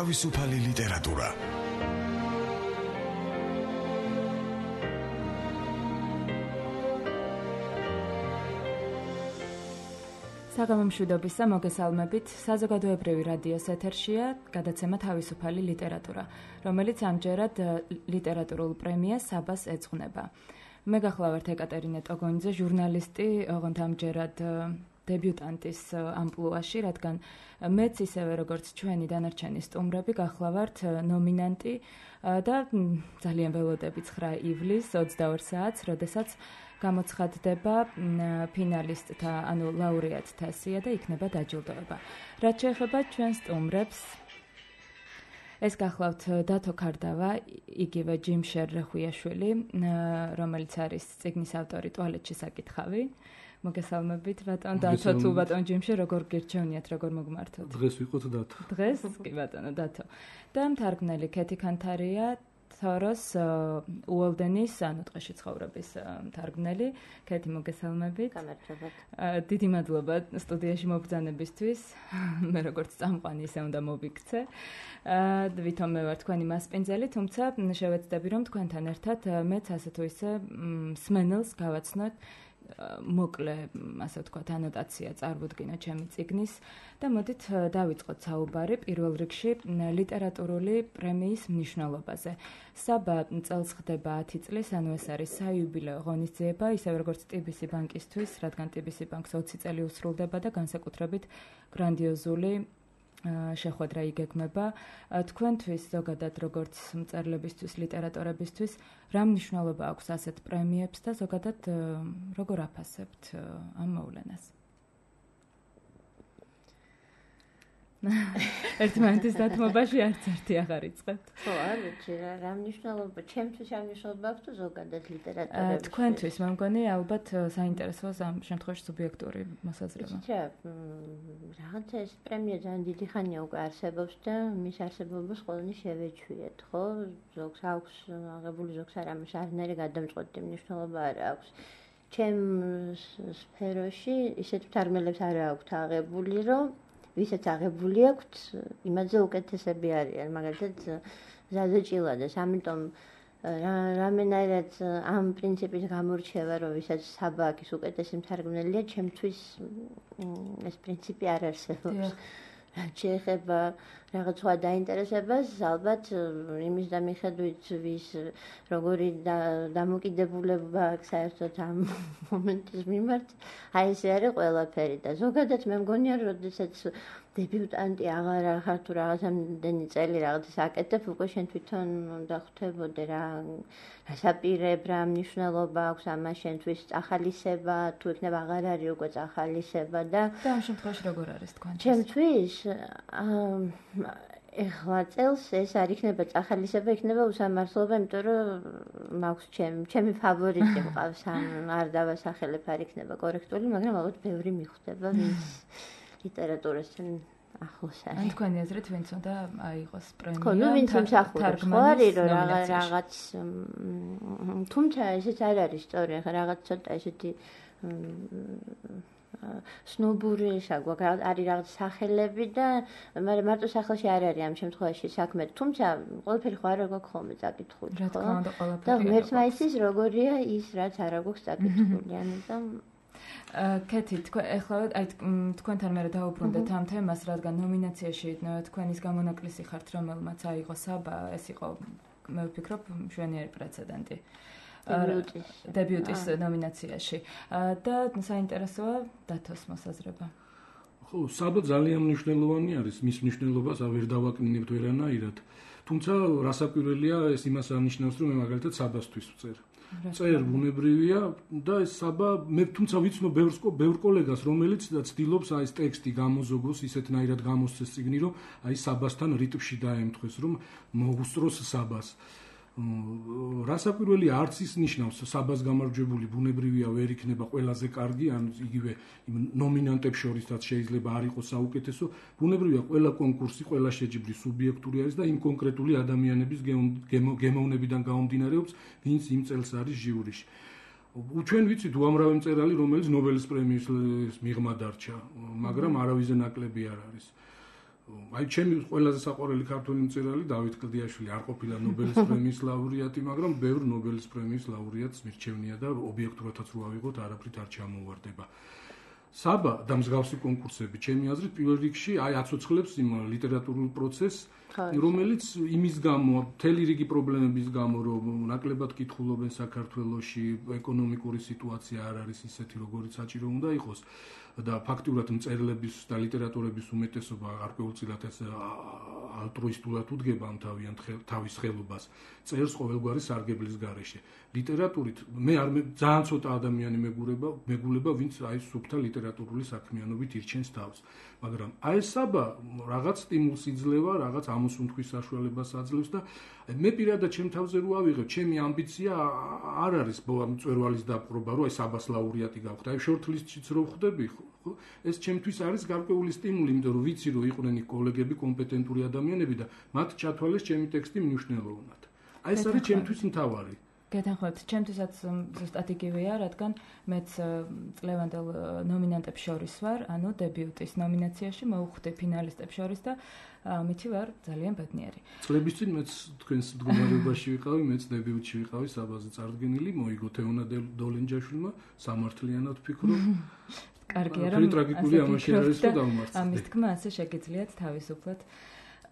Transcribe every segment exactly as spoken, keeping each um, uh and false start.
თავისუფალი ლიტერატურა. საგამომშვიდობისა მოგესალმებით. საზოგადოებრივი რადიოს ეთერშია გადაცემა თავისუფალი ლიტერატურა, რომელიც ამჯერად ლიტერატურულ პრემიას საბას ეძღვნება. მე გახლავართ ეკატერინე ტოგონიძე, ჟურნალისტი, ოღონდ ამჯერად დებიუტანტის ამპლუაში, რადგან მეც ისევე როგორც ჩვენი დანარჩენი სტუმრები გახლავართ ნომინანტი და ძალიან ველოდები ცხრა ივლისს ოცდაორ საათს, როდესაც გამოცხადდება ფინალისტთა, ანუ ლაურეატთა სია და იქნება დაჯილდოება. რაც შეეხება ჩვენ სტუმრებს, ეს გახლავთ დათო ქარდავა, იგივე ჯიმშერ რეხუიაშვილი, რომელიც არის წიგნის ავტორი ტუალეტში საკითხავი. მოგესალმებით ბატონ დათო, თუ ბატონ ჯიმშერ, როგორ გირჩევნიათ, როგორ მოგმართოთ? დღეს ვიყოთ დათო. დღეს კი ბატონო დათო. და მთარგმნელი ქეთი ქანთარია, თოროს უოლდენის, ანუ ტყეში ცხოვრების მთარგმნელი. ქეთი, მოგესალმებით. გამარჯობათ. დიდი მადლობა სტუდიაში მობრძანებისთვის. მე როგორც წამყვანი ისე უნდა მოვიქცე. ვითომ მე ვარ თქვენი მასპინძელი, თუმცა შევეცდები რომ თქვენთან ერთად მეც ასე თუ ისე მსმენელს გავაცნოთ მოკლე, ასე ვთქვათ, ანოტაცია წარვუდგინო ჩემი წიგნის და მოდით დავიწყოთ საუბარი პირველ რიგში ლიტერატურული პრემიის მნიშვნელობაზე. საბა წელს ხდება ათი წლის, ანუ ეს არის საიუბილეო ღონისძიება, ისევე როგორც ტიბისი ბანკისთვის, რადგან ტიბისი ბანკს ოცი წელი უსრულდება და განსაკუთრებით გრანდიოზული შეხვედრა იგეგმება. თქვენთვის ზოგადად როგორც მწერლებისთვის, ლიტერატორებისთვის რა მნიშვნელობა აქვს ასეთ პრემიებს და ზოგადად როგორ აფასებთ ამ მოვლენას? ერთმანეთის დათმობაში არც ერთი აღარ იწყებთ. ხო, არა, რა მნიშვნელობა, ჩემთვის რა მნიშვნელობა აქვს თუ ზოგადად ლიტერატურაში? თქვენთვის მე მგონი ალბათ საინტერესოა ამ შემთხვევაში სუბიექტური მოსაზრება. იცი რა, რაღაცა ეს პრემია ძალიან დიდი ხანია უკვე არსებობს და მის არსებობას ყველანი შევეჩვიეთ, ხო? ზოგს აქვს აღებული, ზოგს არ ამას არნაირი გადამწყვეტი მნიშვნელობა არ აქვს. ჩემ სფეროში ისეთ მთარგმნელებს არ აქვთ აღებული, რომ ვისაც აღებული აქვთ, იმაზე უკეთესები არიან, მაგალითად ზაზა ჭილადეს, ამიტომ რამენაირად ამ პრინციპის გამორჩევა, რომ ვისაც საბა აქვს უკეთესი მთარგმნელია, ჩემთვის ეს პრინციპი არ არსებობს. რაც შეეხება რაღაც სხვა დაინტერესებას, ალბათ იმის და მიხედვით ვის როგორი დამოკიდებულება აქვს საერთოდ ამ მომენტის მიმართ, აი ესე არის ყველაფერი და ზოგადად მე მგონია, როდესაც დებიუტანტი აღარ ახარ თუ რაღაცამდენი წელი რაღაცას აკეთებ, უკვე შენ თვითონ უნდა ხვდებოდე რა რასაპირებ, რა მნიშვნელობა აქვს ამას შენთვის წახალისება, თუ იქნება აღარ არის უკვე წახალისება და და ამ შემთხვევაში როგორ არის თქვენ? ჩემთვის ეხლა წელს ეს არ იქნება წახალისება, იქნება უსამართლობა, იმიტომ რომ მაქვს ჩემი ჩემი ფავორიტი მყავს, ან არ დავასახელებ, არ იქნება კორექტული, მაგრამ ალბათ ბევრი მიხვდება, ვინც ლიტერატურასთან ახლოს არის. ან თქვენი აზრით ვინც უნდა აიღოს პრემია? ხო, ნუ ვინც უსახურებს, ხო არის რომ რაღაც თუმცა ესეც არ არის სწორი, ხა რაღაც ცოტა ესეთი სნობური საგვაკ არის რაღაც სახელები და მაგრამ მარტო სახელში არ არის ამ შემთხვევაში საქმე. თუმცა ყველაფერი ხო არ აქვს ხოლმე წაკითხული, ხო? რა თქმა უნდა, ყველაფერი. და ღმერთმა იცის როგორია ის, რაც არ აქვს წაკითხული, ამიტომ ქეთი, თქვენ ეხლა აი თქვენთან მე დავუბრუნდეთ ამ თემას, რადგან ნომინაციაში თქვენის გამონაკლისი ხართ, რომელმაც აიღო საბა, ეს იყო მე ვფიქრობ მშვენიერი პრეცედენტი. დებიუტის ნომინაციაში და საინტერესოა დათოს მოსაზრება. ხო, საბა ძალიან მნიშვნელოვანი არის, მის მნიშვნელობას ვერ დავაკნინებთ ვერანაირად. თუმცა რასაკვირველია, ეს იმას ანიშნავს, რომ მე მაგალითად საბასთვის ვწერ. წერ ბუნებრივია და ეს საბა მე თუმცა ვიცნობ ბევრ ბევრ კოლეგას, რომელიც ცდილობს აი ეს ტექსტი გამოზოგოს, ისეთნაირად გამოსცეს წიგნი, რომ აი საბასთან რიტმში დაემთხვეს, რომ მოუსწროს საბას. რასაკვირველია, არც ის ნიშნავს საბას გამარჯვებული ბუნებრივია ვერ იქნება ყველაზე კარგი, ან იგივე იმ ნომინანტებს შორისაც შეიძლება არ იყოს საუკეთესო. ბუნებრივია, ყველა კონკურსი, ყველა შეჯიბრი სუბიექტური არის და იმ კონკრეტული ადამიანების გემოვნებიდან გამომდინარეობს, ვინც იმ წელს არის ჟიურიში. ჩვენ ვიცით უამრავი მწერალი, რომელიც ნობელის პრემიის მიღმა დარჩა, მაგრამ არავის ნაკლები არ არის. აი ჩემი ყველაზე საყვარელი ქართველი მწერალი დავით კლდიაშვილი არ ყოფილა ნობელის პრემიის ლაურეატი, მაგრამ ბევრ ნობელის პრემიის ლაურეატს მირჩევნია და ობიექტურათაც რო ავიღოთ, არაფრით არ ჩამოვარდება. საბა და მსგავსი კონკურსები, ჩემი აზრით, პირველ რიგში აი აცოცხლებს იმ ლიტერატურულ პროცესს, რომელიც იმის გამო, მთელი რიგი პრობლემების გამო, რომ ნაკლებად კითხულობენ საქართველოში, ეკონომიკური სიტუაცია არ არის ისეთი, როგორიც საჭირო უნდა იყოს. და ფაქტურად მწერლების და ლიტერატურების უმეტესობა გარკვეულწილად ეს ალტრუისტულად უდგება ამ თავიანთ თავის ხელობას, წერს ყოველგვარი სარგებლის გარეშე. ლიტერატურით მე არ ძალიან ცოტა ადამიანი მეგურება, მეგულება, ვინც აი სუფთა ლიტერატურული საქმიანობით ირჩენს თავს. მაგრამ აი ეს საბა რაღაც სტიმულს იძლევა, რაღაც ამოსუნთქვის საშუალებას აძლევს და მე პირადად ჩემ თავზე რო ავიღებ, ჩემი ამბიცია არ არის მწვერვალის დაპყრობა, რომ აი საბას ლაურეატი გავხდე. აი შორტლისტშიც რო ვხდები, ხო? ეს ჩემთვის არის გარკვეული სტიმული, იმიტომ რომ ვიცი რომ იყვნენ კოლეგები, კომპეტენტური ადამიანები და მათ ჩათვალეს ჩემი ტექსტი მნიშვნელოვნად. აი ეს არის ჩემთვის მთავარი. გეთანხმებთ, ჩემთვისაც ზუსტად იგივეა, რადგან მეც წლევანდელ ნომინანტებს შორის ვარ, ანუ დებიუტის ნომინაციაში მოვხვდი ფინალისტებს შორის და ამითი ვარ ძალიან ბედნიერი. წლების წინ მეც თქვენს მდგომარეობაში ვიყავი, მეც დებიუტში ვიყავი, საბაზე წარდგენილი, მოიგო თეონა დოლენჯაშვილმა, სამართლიანად ვფიქრობ. კარგია, რომ ტრაგიკული ამაში არის რომ დავმარცხდე. ამის თქმა ასე შეგიძლიათ თავისუფლად.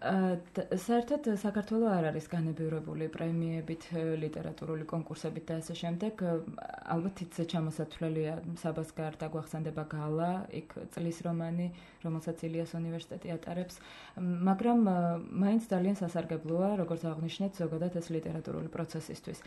საერთოდ საქართველოს არ არის განებივრებული პრემიებით, ლიტერატურული კონკურსებით და ასე შემდეგ. ალბათ ისე ჩამოსათვლელია საბას გარდა გვახსენდება გალა, იქ წლის რომანი, რომელსაც ილიას უნივერსიტეტი ატარებს, მაგრამ მაინც ძალიან სასარგებლოა, როგორც აღნიშნეთ, ზოგადად ეს ლიტერატურული პროცესისთვის.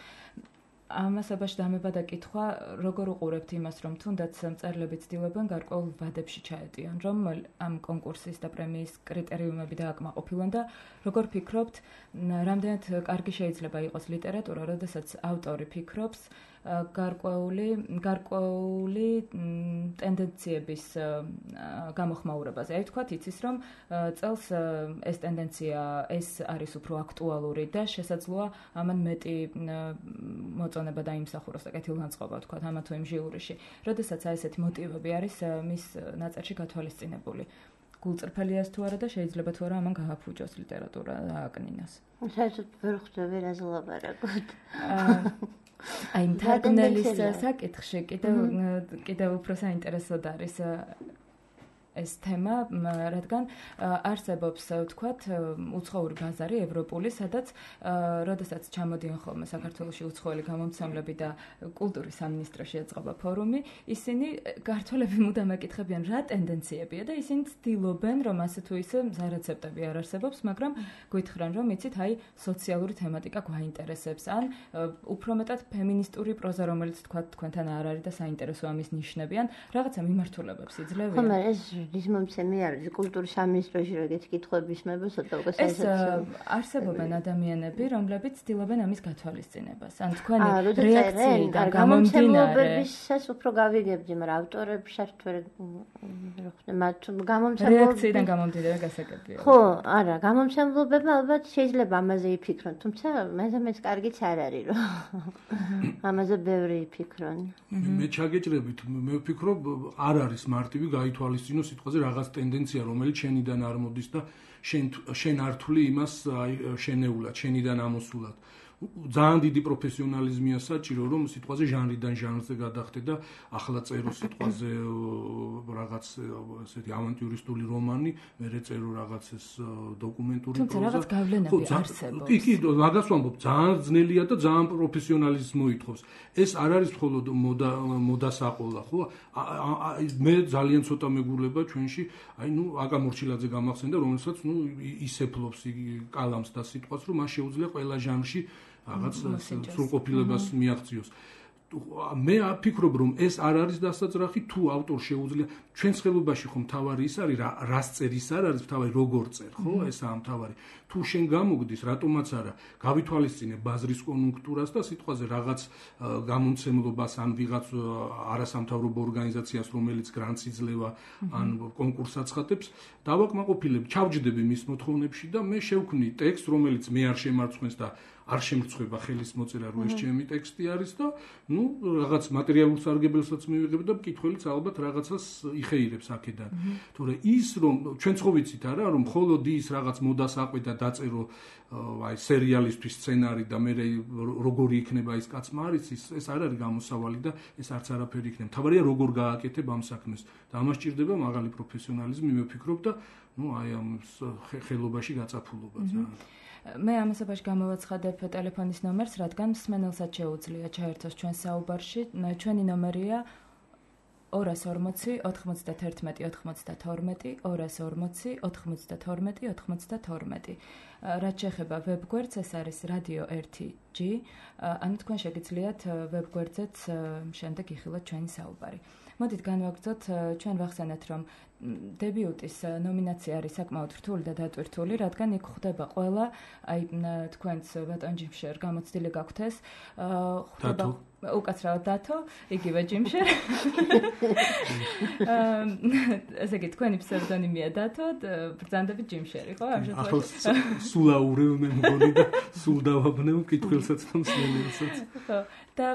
ამასობაში დამება და კითხვა, როგორ უყურებთ იმას, რომ თუნდაც მწერლები ცდილობენ გარკვეულ ვადებში ჩაეტიონ, რომ ამ კონკურსის და პრემიის კრიტერიუმები დააკმაყოფილონ და როგორ ფიქრობთ, რამდენად კარგი შეიძლება იყოს ლიტერატურა, როდესაც ავტორი ფიქრობს გარკვეული გარკვეული ტენდენციების გამოხმაურებაზე. აი ვთქვათ, იცის, რომ წელს ეს ტენდენცია ეს არის უფრო აქტუალური და შესაძლოა ამან მეტი მოწონება დაიმსახუროს და კეთილგანწყობა ვთქვათ, ამა თუ იმ ჟიურიში. როდესაც აი ესეთი მოტივები არის მის ნაწერში გათვალისწინებული. გულწრფელიას თუ არა და შეიძლება თუ არა ამან გააფუჭოს ლიტერატურა და ააკნინოს. საერთოდ ვერ ხვდები რა ზლაბარაკოთ. აი მთარგმნელის საკითხში კიდევ კიდევ უფრო საინტერესოდ არის ეს თემა, რადგან არსებობს, ვთქვათ, უცხოური ბაზარი ევროპული, სადაც როდესაც ჩამოდიან ხოლმე საქართველოში უცხოელი გამომცემლები და კულტურის სამინისტროში ეწყობა ფორუმი, ისინი ქართველები მუდამ ეკითხებიან, რა ტენდენციებია და ისინი ცდილობენ, რომ ასე თუ ისე მზა რეცეპტები არ არსებობს, მაგრამ გითხრან, რომ იცით, აი სოციალური თემატიკა გვაინტერესებს, ან უფრო მეტად ფემინისტური პროზა, რომელიც თქვათ თქვენთან არ არის და საინტერესოა მის ნიშნები, ან რაღაცა მიმართულებებს იძლევიან. ხომ ეს ის მომცემი არის კულტურის სამინისტროში როგორც კითხვების მება ცოტა უკვე საინტერესოა. ეს არსებობენ ადამიანები, რომლებიც ცდილობენ ამის გათვალისწინებას. ან თქვენი რეაქციიდან გამომდინარე, ეს უფრო გავიგებდი, მაგრამ ავტორებს საერთოდ ვერ ხვდე მათ გამომცემლობები. რეაქციიდან გამომდინარე გასაგებია. ხო, არა, გამომცემლობებმა ალბათ შეიძლება ამაზე იფიქრონ, თუმცა მეზამეც კარგიც არ არის, რომ ამაზე ბევრი იფიქრონ. მე ჩაგეჭრებით, მე ვფიქრობ, არ არის მარტივი გაითვალისწინოს სიტყვაზე რაღაც ტენდენცია, რომელიც შენიდან არ მოდის და შენ შენ არ თვლი იმას აი შენეულად, შენიდან ამოსულად. ძალიან დიდი პროფესიონალიზმია საჭირო, რომ სიტყვაზე ჟანრიდან ჟანრზე გადახდე და ახლა წერო სიტყვაზე რაღაც ესეთი ავანტიურისტული რომანი, მერე წერო რაღაც ეს დოკუმენტური პროზა. თუმცა რაღაც გავლენები არსებობს. კი, კი, მაგას ვამბობ, ძალიან ძნელია და ძალიან პროფესიონალიზმს მოითხოვს. ეს არ არის მხოლოდ მოდა მოდასაყოლა, ხო? მე ძალიან ცოტა მეგულება ჩვენში, აი ნუ აკა მორჩილაძე გამახსენდა, რომელსაც ნუ ისეფლობს კალამს და სიტყვას, რომ მას შეუძლია ყველა ჟანრში რაღაც სრულყოფილებას მიაღწიოს. მე ვფიქრობ, რომ ეს არ არის დასაძრახი, თუ ავტორ შეუძლია ჩვენს ხელობაში ხომ თავარი ის არის, რას წერ ის არ არის თავარი როგორ წერ, ხო? ესაა თავარი. თუ შენ გამოგდის, რატომაც არა, გავითვალისწინე ბაზრის კონjunქტურას და სიტყვაზე რაღაც გამომცემლობას ან ვიღაც არასამთავრობო ორგანიზაციას, რომელიც გრანტს იძლევა, ან კონკურსს აცხადებს, დავაკმაყოფილებ, ჩავჯდები მის მოთხოვნებში და მე შევქმნი ტექსტს, რომელიც მე არ შემარცხვენს და არ შემრცხვება ხელის მოწერა, რომ ეს ჩემი ტექსტი არის და ნუ რაღაც მატერიალურ სარგებელსაც მივიღებ და მკითხველიც ალბათ რაღაცას იხეირებს აქედან. თორე ის რომ ჩვენც ხო ვიცით არა, რომ მხოლოდ ის რაღაც მოდას აყვედა დაწერო აი სერიალისთვის სცენარი და მე როგორი იქნება ის კაცმა არის ის ეს არ არის გამოსავალი და ეს არც არაფერი იქნება. თავარია როგორ გააკეთებ ამ საქმეს და ამას ჭირდება მაღალი პროფესიონალიზმი მე ვფიქრობ და ნუ აი ამ ხელობაში გაწაფულობა ძალიან. მე ამასობაში გამოვაცხადებ ტელეფონის ნომერს, რადგან მსმენელსაც შეუძლია ჩაერთოს ჩვენ საუბარში. ჩვენი ნომერია ორას ორმოცი ოთხმოცდათერთმეტი ოთხმოცდათორმეტი ორას ორმოცი ოთხმოცდათორმეტი ოთხმოცდათორმეტი. რაც შეეხება ვებგვერდს, ეს არის რადიო ერთი ჯი. ანუ თქვენ შეგიძლიათ ვებგვერდზეც შემდეგ იხილოთ ჩვენი საუბარი. მოდით განვაგრძოთ, ჩვენ ვახსენეთ, რომ დებიუტის ნომინაცია არის საკმაოდ რთული და დატვირთული, რადგან იქ ხვდება ყველა, აი თქვენც ბატონ ჯიმშერ გამოცდილი გაქვთ ეს, ხვდება უკაცრავად დათო, იგივე ჯიმშერ. ესე იგი თქვენი ფსევდონიმია დათო, ბრძანდებით ჯიმშერი, ხო? ახლა სულაურევ მე მგონი და სულ დავაბნევ მკითხველსაც და მსმენელსაც. ხო. და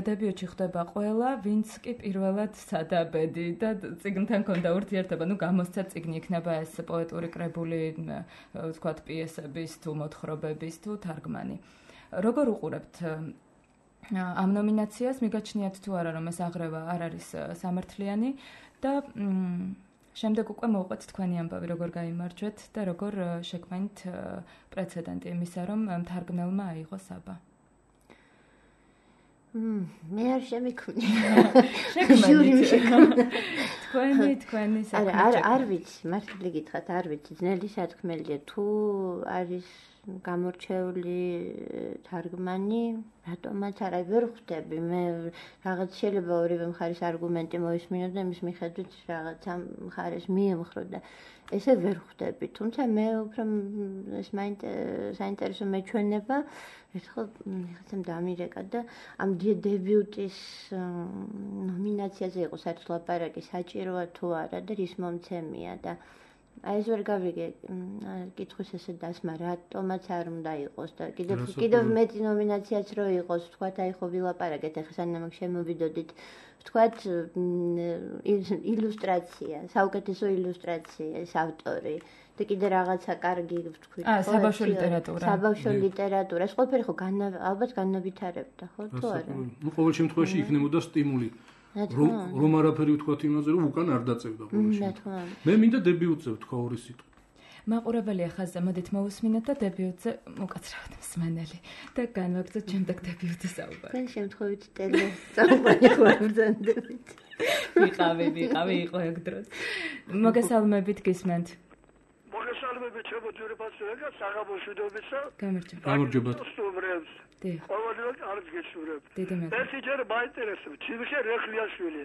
დებიუტში ხვდება ყველა, ვინც კი პირველად სადაბედი და წიგნთან ქონდა ურთიერთობა, ну გამოსცა წიგნი იქნება ეს პოეტური კრებული, ვთქვათ, პიესების თუ მოთხრობების თუ თარგმანი. როგორ უყურებთ ამ ნომინაციას? მიგაჩნიათ თუ არა, რომ ეს აღრევა არ არის სამართლიანი და შემდეგ უკვე მოვყვეთ თქვენი ამბავი, როგორ გაიმარჯვეთ და როგორ შექმნით პრეცედენტი იმისა, რომ თარგმნელმა აიღო საბა. მე არ შემიქმნია. შექმნით. თქვენი, თქვენი არა, არ არ ვიცი, მართალი გითხრათ, არ ვიცი, ძნელი სათქმელია თუ არის გამორჩეული თარგმანი, რატომაც არა ვერ ხვდები. მე რაღაც შეიძლება ორივე მხარის არგუმენტი მოისმინო და იმის მიხედვით რაღაც ამ მხარეს მიემხრო და ესე ვერ ხვდები. თუმცა მე უფრო ეს საინტერესო მეჩვენება ერთხელ რაღაცამ დამირეკა და ამ დებიუტის ნომინაციაზე იყო საერთოდ ლაპარაკი, საჭიროა თუ არა და რის მომცემია და აი ეს ვერ გავიგე კითხვის ესე დასმა, რატომაც არ უნდა იყოს და კიდევ კიდევ მეტი ნომინაციაც რო იყოს, ვთქვათ, აი ხო ვილაპარაკეთ, ახლა სანამ შემოვიდოდით, ვთქვათ, ილუსტრაცია, საუკეთესო ილუსტრაციის ავტორი და კიდე რაღაცა კარგი ვთქვით, აა საბავშვო ლიტერატურა. საბავშვო ლიტერატურა. ეს ყველაფერი ხო ალბათ განავითარებდა, ხო თუ არა? ნუ ყოველ შემთხვევაში იქნებოდა სტიმული. რომ რომ არაფერი ვთქვათ იმაზე, რომ უკან არ დაწევდა ყოველ შემთხვევაში. მე მინდა დებიუტზე ვთქვა ორი სიტყვა. მაყურებელია ხაზზე, მოდით მოვუსმინოთ და დებიუტზე უკაცრავად მსმენელი და განვაგრძოთ შემდეგ დებიუტის საუბარი. თქვენ შემთხვევით ტელე საუბარი გვაგრძანდებით. ვიყავი, ვიყავი, იყო ეგ დროს. მოგესალმებით, გისმენთ. მოგესალმებით, ჩემო ძვირფასურება, საღამოშვიდობისა. გამარჯობა. გამარჯობა. სტუმრებს. დიახ. ყოველდღე კარგ გესურვებ. დიდი მადლობა. ერთი ჯერ მაინტერესებს, ჯიმშერ რეხლიაშვილი.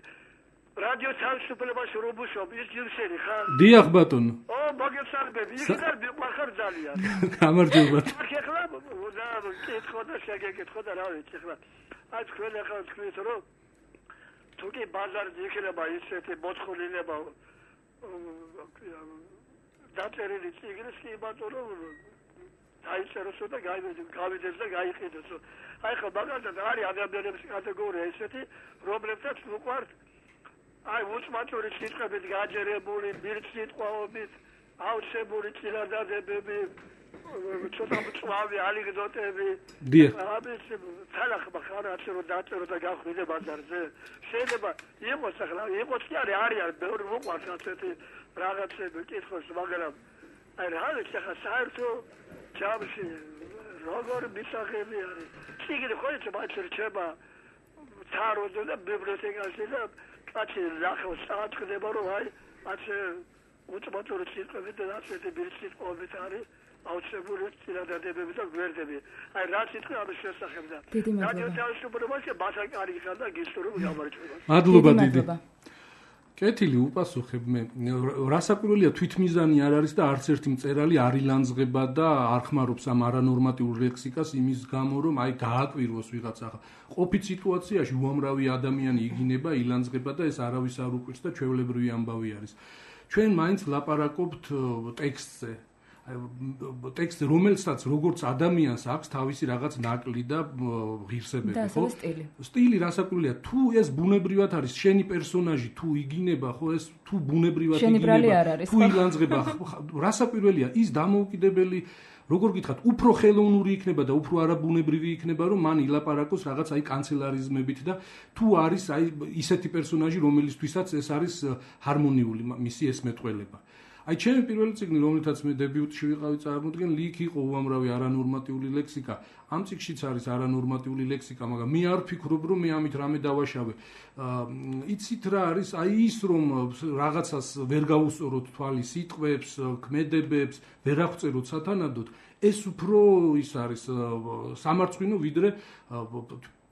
რადიო თავისუფლებაში რომ ვუშაობ, ის ჯიმშერი ხარ? დიახ, ბატონო. ო, მოგესალმები, იქიდან მიყვარხარ ძალიან. გამარჯობა. ახლა და კითხო და შეგეკითხო და რა ვიცი ხლა. აი თქვენ ახლა თქვით რომ თუ კი ბაზარზე იქნება ისეთი მოწყობილება დაწერილი წიგნის კი ბატონო დაიწეროსო და გავიდეს და გაიყიდოსო. აი ხო მაგალითად არის ადამიანების კატეგორია ისეთი, რომლებსაც უყვართ აი უცმაწური სიტყვებით გაჯერებული, ბირთვით, აუცებული წინადადებები, ცოტა მწვავე ანეკდოტები. დიახ. ამის თანახმა ხარ ასე რომ დაწერო და გახვიდე ბაზარზე. შეიძლება იყოს ახლა, იყოს კი არის არის ბევრი უყვართ ასეთი რაღაცები კითხოს, მაგრამ აი რა ვიცი ახლა საერთო ჯამში როგორ მისაღები არის. ციგნი ხო იცი მაინც რჩება თაროზე და ბიბლიოთეკაში და კაცი ნახოს საათქდება რომ აი ასე უწმაწური სიტყვებით და ასეთი ბირთვით არის აუცილებელი წინადადებები და გვერდები. აი რა სიტყვა ამის შესახებ და რადიო თავისუფლებაში ბასაკარი ხარ და გისურვებ გამარჯვებას. მადლობა დიდი. კეთილი უპასუხებ მე. რასაკვირველია თვითმიზანი არ არის და არც ერთი მწერალი არ ილანძღება და არ ხმარობს ამ არანორმატიულ ლექსიკას იმის გამო რომ აი გააკვირვოს ვიღაცა. ყოფით სიტუაციაში უამრავი ადამიანი იგინება, ილანძღება და ეს არავის არ უკვირს და ჩვეულებრივი ამბავი არის. ჩვენ მაინც ლაპარაკობთ ტექსტზე. ტექსტი რომელსაც როგორც ადამიანს აქვს თავისი რაღაც ნაკლი და ღირსებები, ხო? და სტილი. სტილი რასაკვირველია, თუ ეს ბუნებრივად არის, შენი პერსონაჟი თუ იგინება, ხო, ეს თუ ბუნებრივად იგინება, თუ ილანძღება, რასაკვირველია, ის დამოუკიდებელი როგორ გითხრათ, უფრო ხელოვნური იქნება და უფრო არაბუნებრივი იქნება, რომ მან ილაპარაკოს რაღაც აი კანცელარიზმებით და თუ არის აი ისეთი პერსონაჟი, რომელისთვისაც ეს არის ჰარმონიული მისი ეს მეტყველება. აი ჩემი პირველი წიგნი, რომელთაც მე დებიუტში ვიყავი წარმოდგენილი, იქ იყო უამრავი არანორმატიული ლექსიკა. ამ წიგნშიც არის არანორმატიული ლექსიკა, მაგრამ მე არ ვფიქრობ, რომ მე ამით რამე დავაშავე. იცით რა არის? აი ის რომ რაღაცას ვერ გავუსწოროთ თვალი სიტყვებს, ქმედებებს, ვერ აღწეროთ სათანადოდ, ეს უფრო ის არის სამარცხვინო ვიდრე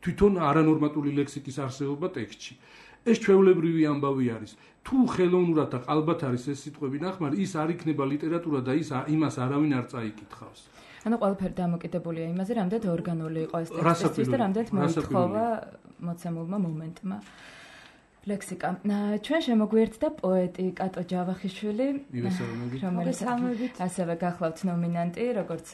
თვითონ არანორმატული ლექსიკის არსებობა ტექსტში. ეს ჩვეულებრივი ამბავი არის. თუ ხელოვნურად და ყალბად არის ეს სიტყვები ნახმარი, ის არ იქნება ლიტერატურა და ის იმას არავინ არ წაიკითხავს. ანუ ყველაფერი დამოკიდებულია იმაზე, რამდენად ორგანული იყო ეს ტექსტი და რამდენად მოითხოვა მოცემულმა მომენტმა. ლექსიკა. ჩვენ შემოგვიერთდა პოეტი კატო ჯავახიშვილი, რომელიც ასევე გახლავთ ნომინანტი, როგორც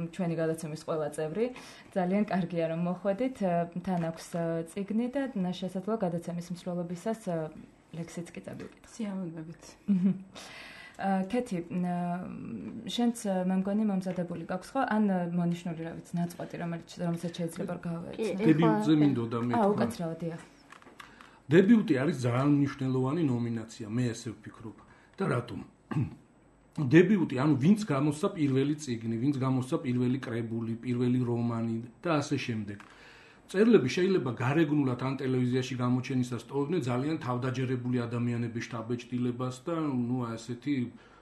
ჩვენი გადაცემის ყველა წევრი. ძალიან კარგია რომ მოხვედით. თან აქვს წიგნი და შესაძლოა გადაცემის მსვლელობისას ლექსიც კი წავიკითხოთ. სიამოვნებით. კეთი, შენც მე მგონი მომზადებული გაქვს ხო? ან მონიშნული რა ვიცი, ნაწყვეტი, რომელიც რომელსაც შეიძლება გავეცნო. დებიუტზე მინდოდა მე. აა, უკაცრავად, დიახ. დებიუტი არის ძალიან მნიშვნელოვანი ნომინაცია, მე ესე ვფიქრობ. და რატომ? დებიუტი, ანუ ვინც გამოსცა პირველი წიგნი, ვინც გამოსცა პირველი კრებული, პირველი რომანი და ასე შემდეგ. წერილები შეიძლება გარეგნულად ან ტელევიზიაში გამოჩენისას ტოვებდნენ ძალიან თავდაჯერებული ადამიანების შთაბეჭდილებას და ნუ ასეთი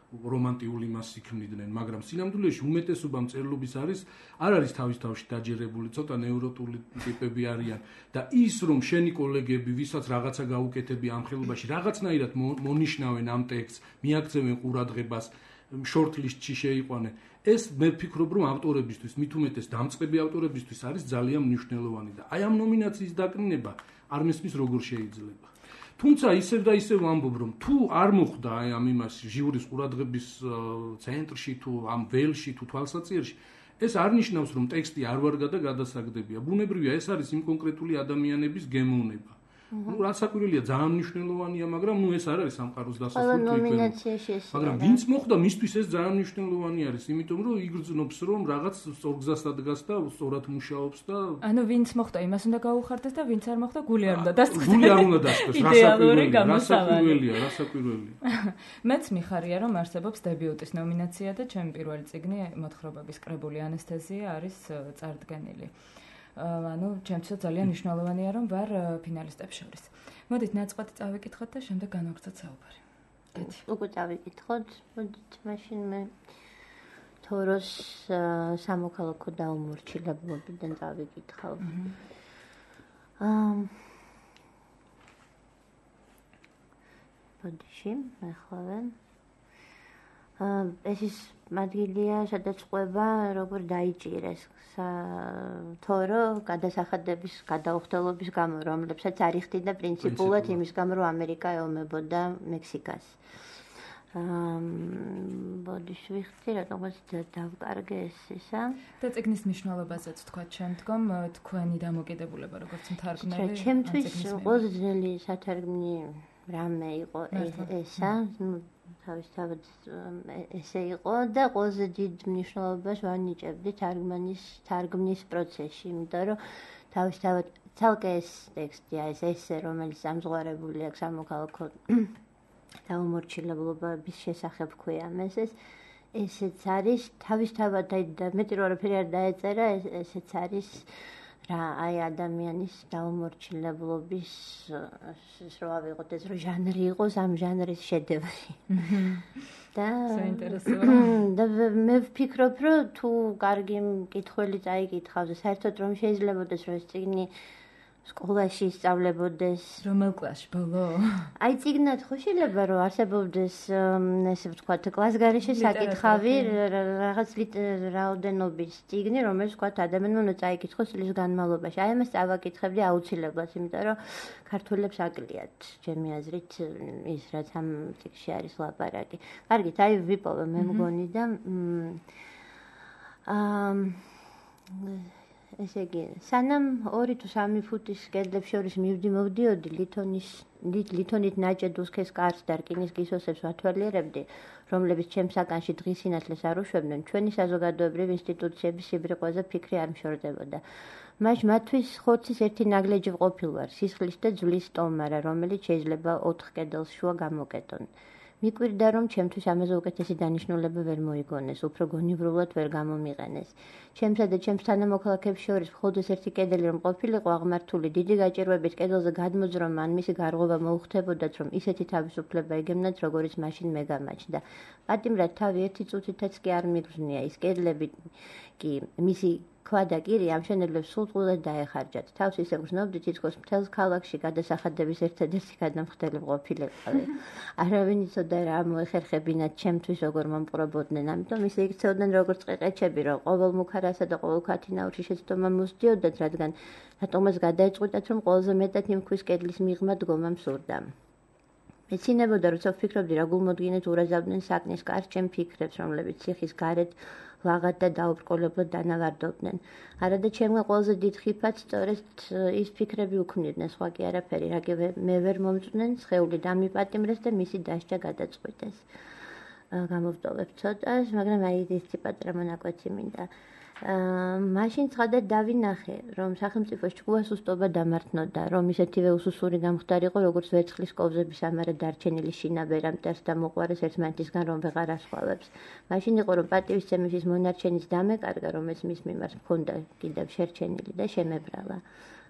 რომანტიული მას იქმნიდნენ, მაგრამ სინამდვილეში უმეტესობა მწერლობის არის არ არის თავის თავში დაჯერებული, ცოტა ნევროტული ტიპები არიან და ის რომ შენი კოლეგები, ვისაც რაღაცა გაუკეთები ამ ხელობაში, რაღაცნაირად მონიშნავენ ამ ტექსტს, მიაქცევენ ყურადღებას, შორტლისტში შეიყვანენ. ეს მე ვფიქრობ, რომ ავტორებისთვის, მით უმეტეს დამწყები ავტორებისთვის არის ძალიან მნიშვნელოვანი და აი ამ ნომინაციის დაკნინება არ მესმის როგორ შეიძლება. თუმცა ისევ და ისევ ვამბობ, რომ თუ არ მოხდა აი ამ იმას ჟიურის ყურადღების ცენტრში თუ ამ ველში თუ თვალსაჩინოში, ეს არ ნიშნავს, რომ ტექსტი არ ვარგა და გადასაგდებია. ბუნებრივია, ეს არის იმ კონკრეტული ადამიანების გემოვნება. ну რასაკვირველია ძალიან მნიშვნელოვანია, მაგრამ ну ეს არ არის სამყაროს დასასრული ნომინაციაში ეს. მაგრამ ვინც მოხდა, მისთვის ეს ძალიან მნიშვნელოვანი არის, იმიტომ რომ იგრძნობს რომ რაღაც სწორგზას ადგას და სწორად მუშაობს და ანუ ვინც მოხდა, იმას უნდა გაუხარდეს და ვინც არ მოხდა, გული არ უნდა დასწროს. გული არ უნდა დასწროს, რასაკვირველია, რასაკვირველია, რასაკვირველია. მეც მიხარია რომ არსებობს დებიუტის ნომინაცია და ჩემი პირველი წიგნი მოთხრობების კრებული ანესთეზია არის წარდგენილი. ანუ ჩემთვის ძალიან მნიშვნელოვანია რომ ვარ ფინალისტებს შორის. მოდით ნაწყვეტი წავიკითხოთ და შემდეგ განვაგრძოთ საუბარი. კეთი. უკვე წავიკითხოთ. მოდით მაშინ მე თოროს სამოქალაქო დაუმორჩილებობიდან წავიკითხავ. აა ბოდიში, ახლა ეს ის მადგილია, სადაც ყვება როგორ დაიჭირეს თორო გადასახადების გადაუხდელობის გამო, რომლებსაც არ იხდიდა პრინციპულად იმის გამო, რომ ამერიკა ეომებოდა მექსიკას. აა ბოდიში ვიხდი, რატომაც დავკარგე ეს ისა. და წიგნის მნიშვნელობაზეც თქვა შემდგომ თქვენი დამოკიდებულება როგორც მთარგმნელი. ჩემთვის ყველაზე ძნელი სათარგმნი რამე იყო ესა, თავისთავად ესე იყო და ყველაზე დიდ მნიშვნელობას ვანიჭებდი თარგმანის თარგმნის პროცესში, იმიტომ რომ თავისთავად ცალკე ეს ტექსტია, ეს ესე, რომელიც ამზღვარებული აქვს სამოქალაქო დაუმორჩილებლობის შესახებ ქვია მესეს, ესეც არის თავისთავად და მეტი რომ არაფერი არ დაეწერა, ესეც არის რა აი ადამიანის დაუმორჩილებლობის რო ავიღოთ ეს რო ჟანრი იყოს ამ ჟანრის შედევრი. და საინტერესოა. და მე ვფიქრობ რომ თუ კარგი მკითხველი წაიკითხავს, საერთოდ რომ შეიძლებაოდეს რომ ეს წიგნი სკოლაში ისწავლებოდეს. რომელ კლასში ბოლო? აი წიგნად ხო შეიძლება რომ არსებობდეს ესე ვთქვათ კლასგარეშე საკითხავი რაღაც რაოდენობის წიგნი, რომელიც ვთქვათ ადამიანმა უნდა წაიკითხოს წლის განმავლობაში. აი ამას წავაკითხებდი აუცილებლად, იმიტომ რომ ქართველებს აკლიათ, ჩემი აზრით, ის რაც ამ წიგნში არის ლაპარაკი. კარგით, აი ვიპოვე მე მგონი და აა ესე იგი, სანამ ორი თუ სამი ფუტის კედლებს შორის მივდი მოვდიოდი, ლითონის ლითონით ნაჭედ უსქეს კარს და რკინის გისოსებს ვათვალიერებდი, რომლებიც ჩემს საკანში დღის სინათლეს არ უშვებდნენ, ჩვენი საზოგადოებრივი ინსტიტუციების სიბრიყვეზე ფიქრი არ მშორდებოდა. მაშ მათთვის ხორცის ერთი ნაგლეჯი ვყოფილ ვარ, სისხლის და ძვლის სტომარა, რომელიც შეიძლება ოთხ კედელს შუა გამოკეტონ. მიკვირდა რომ ჩემთვის ამაზე უკეთესი დანიშნულება ვერ მოიგონეს, უფრო გონივრულად ვერ გამომიყენეს. ჩემსა და ჩემს თანამოქალაქეებს შორის მხოლოდ ერთი კედელი რომ ყოფილიყო აღმართული, დიდი გაჭირვებით კედელზე გადმოძრომა ან მისი გარღვევა მოუხდებოდათ, რომ ისეთი თავისუფლება იგებნათ, როგორიც მაშინ მე გამაჩნდა. პატიმრად თავი ერთი წუთითაც კი არ მიგრძნია, ის კედლები კი მისი ქვა და კირი ამშენებლებს სულწულად დაეხარჯათ. თავს ისე გრძნობდი, თითქოს მთელს ქალაქში გადასახადების ერთადერთი გადამხდელი ყოფილიყავი. არავინ იცოდა რა მოეხერხებინათ ჩემთვის როგორ მომპყრობოდნენ, ამიტომ ისე იქცეოდნენ როგორც ყეყეჩები, რომ ყოველ მუქარასა და ყოველ ქათინაურში შეცდომა მოსდიოდათ, რადგან რატომაც გადაეწყვიტათ, რომ ყველაზე მეტად იმ ქვის კედლის მიღმა დგომა მსურდა. მეცინებოდა, როცა ვფიქრობდი, რა გულმოდგინედ ურაზავდნენ საკნის კარს ჩემ ფიქრებს, რომლებიც ციხის გარეთ ლაღად და დაუბრკოლებლად დანავარდობდნენ. არადა ჩემმა ყველაზე დიდ ხიფად სწორედ ის ფიქრები უქმნიდნენ, სხვა კი არაფერი, რაგებ მე ვერ მომწვნენ, სხეული დამიპატიმრეს და მისი დასჯა გადაწყვიტეს. გამოვტოვებ ცოტას, მაგრამ აი ერთი პატარა მონაკვეთი მინდა. მაშინ ცხადად დავინახე, რომ სახელმწიფოს ჭკუას უსტობა დამართნოდა, რომ ისეთივე უსუსური გამხდარიყო, როგორც ვერცხლის კოვზების ამარა დარჩენილი შინაბერა მტერს და მოყვარეს ერთმანეთისგან რომ ვეღარ ასხვალებს. მაშინ იყო, რომ პატივისცემის ის მონარჩენის დამეკარგა, რომელიც მის მიმართ მქონდა კიდევ შერჩენილი და შემებრალა.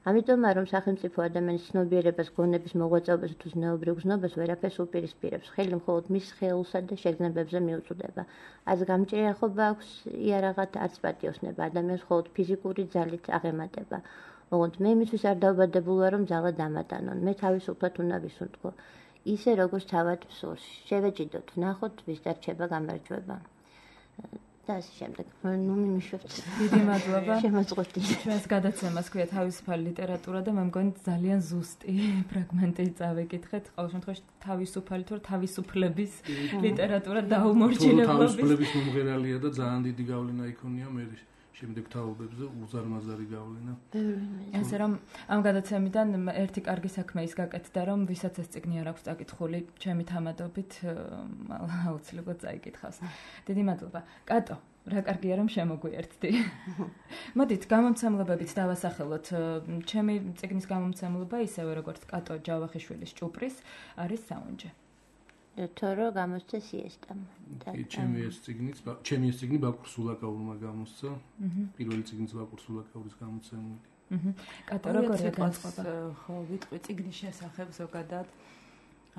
ამიტომ რომ სახელმწიფო ადამიანის ცნობიერებას, გონების მოღვაწეობას თუ ზნეობრივ გზნობას ვერაფერს უპირისპირებს, ხელი მხოლოდ მის ხელსა და შეგრძნებებზე მიუწვდება. არც გამჭირიახობა აქვს იარაღად, არც პატიოსნება, ადამიანს მხოლოდ ფიზიკური ძალით აღემატება. ოღონდ მე მისთვის არ დავბადებულ ვარ, რომ ძალა დამატანონ. მე თავისუფლად უნდა ვისუნთქო. ისე როგორც თავად ვსურს. შევეჭიდოთ, ვნახოთ, ვის დარჩება გამარჯვება. და ასე შემდეგ. ნუ მიმიშვებთ. დიდი მადლობა. შემოწყვეტი. ჩვენს გადაცემას ქვია თავისუფალი ლიტერატურა და მე მგონი ძალიან ზუსტი ფრაგმენტი წავეკითხეთ. ყოველ შემთხვევაში თავისუფალი თუ თავისუფლების ლიტერატურა დაუმორჩილებლობის. თავისუფლების მომღერალია და ძალიან დიდი გავლენა იქონია მე შემდეგ თაობებზე უზარმაზარი გავლენა. ასე რომ ამ გადაცემიდან ერთი კარგი საქმე ის გაკეთდა, რომ ვისაც ეს წიგნი არ აქვს წაკითხული, ჩემი თამადობით აუცილებლად წაიკითხავს. დიდი მადლობა. კატო, რა კარგია რომ შემოგვიერთდი. მოდით გამომცემლებებით დავასახელოთ. ჩემი წიგნის გამომცემლობა ისევე როგორც კატო ჯავახიშვილის ჭუპრის არის საუნჯე. თორო გამოსცა სიესტამ. ჩემი ეს წიგნიც, ჩემი ეს წიგნი ბაკურ სულაკაურმა გამოსცა. პირველი წიგნიც ბაკურ სულაკაურის გამოცემული. აჰა. კატო როგორია განწყობა? ხო, ვიტყვი წიგნის შესახებ ზოგადად.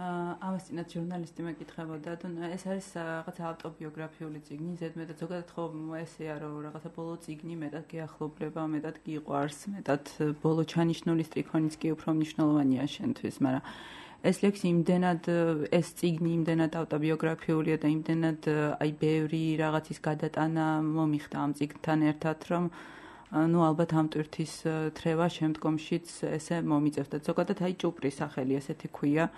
აა ამასთანავე ჟურნალისტი მეკითხებოდა, თუ ეს არის რაღაცა ავტობიოგრაფიული წიგნი, ზედმეტად ზოგადად ხო ესეა, რომ რაღაცა ბოლო წიგნი მეტად გიახლობრება, მეტად გიყვარს, მეტად ბოლო ჩანიშნული სტრიქონიც კი უფრო მნიშვნელოვანია შენთვის, მაგრამ ეს ლექსი იმდენად ეს წიგნი იმდენად ავტობიოგრაფიულია და იმდენად აი ბევრი რაღაცის გადატანა მომიხდა ამ წიგნთან ერთად, რომ ну ალბათ ამ ტვირთის თრევა შემდგომშიც ესე მომიწევდა. ზოგადად აი ჭუპრის სახელი ესეთი ქვია.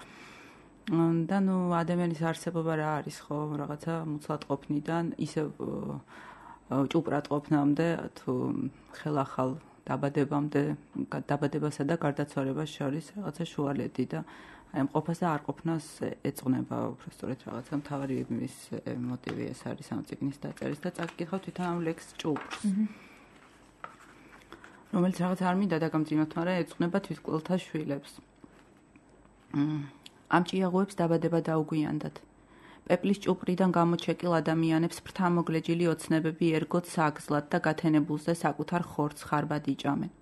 და ну ადამიანის არსებობა რა არის ხო რაღაცა მუცლადყოფნიდან ისე ჭუპრად ყოფნამდე თუ ხელახალ დაბადებამდე დაბადებასა და გარდაცვალებას შორის რაღაცა შუალედი და აი ამ ყოფას და არ ყოფნას ეწონება უბრალოდ რაღაცა მთავარი მის მოტივი ეს არის ამ წიგნის დაწერის და წაკითხავ თვითონ ამ ლექს ჭუპრს რომელიც რაღაც არ მინდა დაგამძიმოთ, მაგრამ ეწონება თვითკვლელთა შვილებს. ამ ჭიაღოებს დაბადება დაუგვიანდათ. პეპლის ჭუპრიდან გამოჩეკილ ადამიანებს ფრთამოგლეჯილი ოცნებები ერგოთ საგზლად და გათენებულს და საკუთარ ხორცს ხარბად იჭამენ.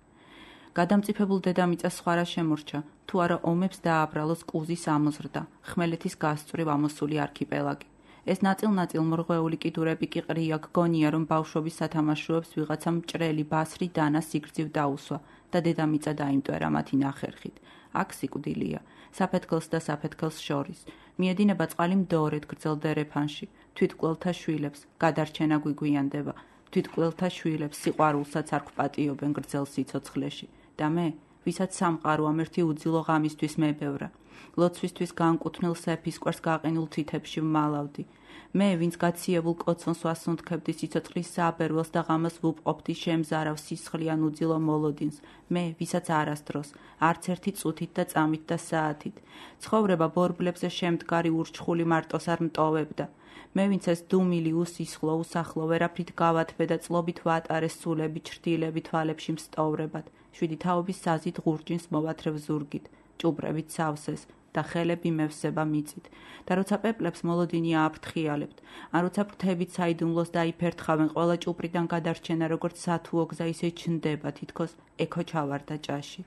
გადამწიფებულ დედამიწას სხვა რა შემორჩა, თუ არა ომებს დააბრალოს კუზის ამოზრდა, ხმელეთის გასწვრივ ამოსული არქიპელაგი. ეს ნაწილ-ნაწილ მორღვეული კიდურები კი ყრია, გგონია, რომ ბავშვობის სათამაშოებს ვიღაცამ მჭრელი ბასრი დანა სიგრძივ დაუსვა და დედამიწა დაიმტვერა მათი ნახერხით. აქ სიკვდილია, საფეთქელს და საფეთქელს შორის. მიედინება წყალი მდორედ გრძელ დერეფანში, თვითკვლელთა შვილებს, გადარჩენა გვიგვიანდება, თვითკვლელთა შვილებს სიყვარულსაც არ გვპატიობენ გრძელ სიცოცხლეში. და მე, ვისაც სამყარო ამ ერთი უძილო ღამისთვის მებევრა, ლოცვისთვის განკუთვნილ სეფისკვერს გაყინულ თითებში ვმალავდი. მე, ვინც გაციებულ კოცონს ვასუნთქებდი სიცოცხლის საბერველს და ღამას ვუპყობდი შემზარავ სისხლიან უძილო მოლოდინს, მე, ვისაც არასდროს, არც ერთი წუთით და წამით და საათით, ცხოვრება ბორბლებზე შემდგარი ურჩხული მარტოს არ მტოვებდა. მე, ვინც ეს დუმილი უსისხლო უსახლო ვერაფრით გავათბე და წლობით ვატარეს სულები ჩრდილები თვალებში მსტოვრებად, შვიდი თაობის საზით ღურჯინს მოვათრევ ზურგით, ჭუბრებით სავსეს და ხელები მევსება მიწით. და როცა პეპლებს მოლოდინი ააფრთხიალებთ, ან როცა ფრთებით საიდუმლოს დაიფერთხავენ, ყველა ჭუბრიდან გადარჩენა როგორც სათუო გზა ისე ჩნდება, თითქოს ექო ჩავარდა ჭაში.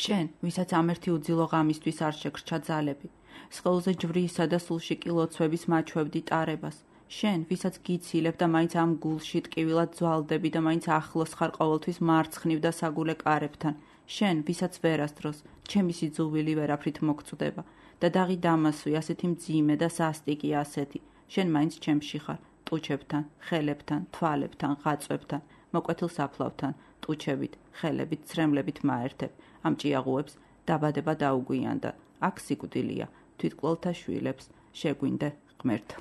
შენ, ვისაც ამ ერთი უძილო ღამისთვის არ შეგრჩა ძალები, სხეულზე ჯვრისა და სულში კი ლოცვების მაჩვევდი ტარებას. შენ, ვისაც გიცილებ და მაინც ამ გულში ტკივილად ძვალდები და მაინც ახლოს ხარ ყოველთვის მარცხნივ და საგულე კარებთან. შენ, ვისაც ვერასდროს, ჩემი სიძულვილი ვერაფრით მოგწვდება და დაღი დამასვი ასეთი მძიმე და სასტიკი ასეთი. შენ მაინც ჩემში ხარ, ტუჩებთან, ხელებთან, თვალებთან, ღაწვებთან, მოკვეთილ საფლავთან, ტუჩებით, ხელებით, ცრემლებით მაერთებ. ამ ჭიაღუებს დაბადება დაუგვიანდა. აქ სიკვდილია, თვითკვლელთა შვილებს შეგვინდე ღმერთო.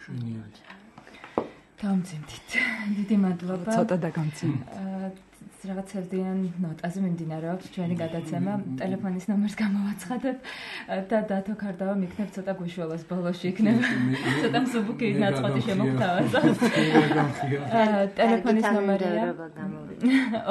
შვენიერი. გამძიმდით. დიდი მადლობა. ცოტა დაგამძიმდით. რაღაც ერთიან ნოტაზე მიმდინარეობს ჩვენი გადაცემა. ტელეფონის ნომერს გამოვაცხადებ და დათო ქარდავა მიქნებ ცოტა გუშველოს ბოლოში იქნება. ცოტა მსუბუქი ნაწყვეტი შემოგთავაზა. ტელეფონის ნომერია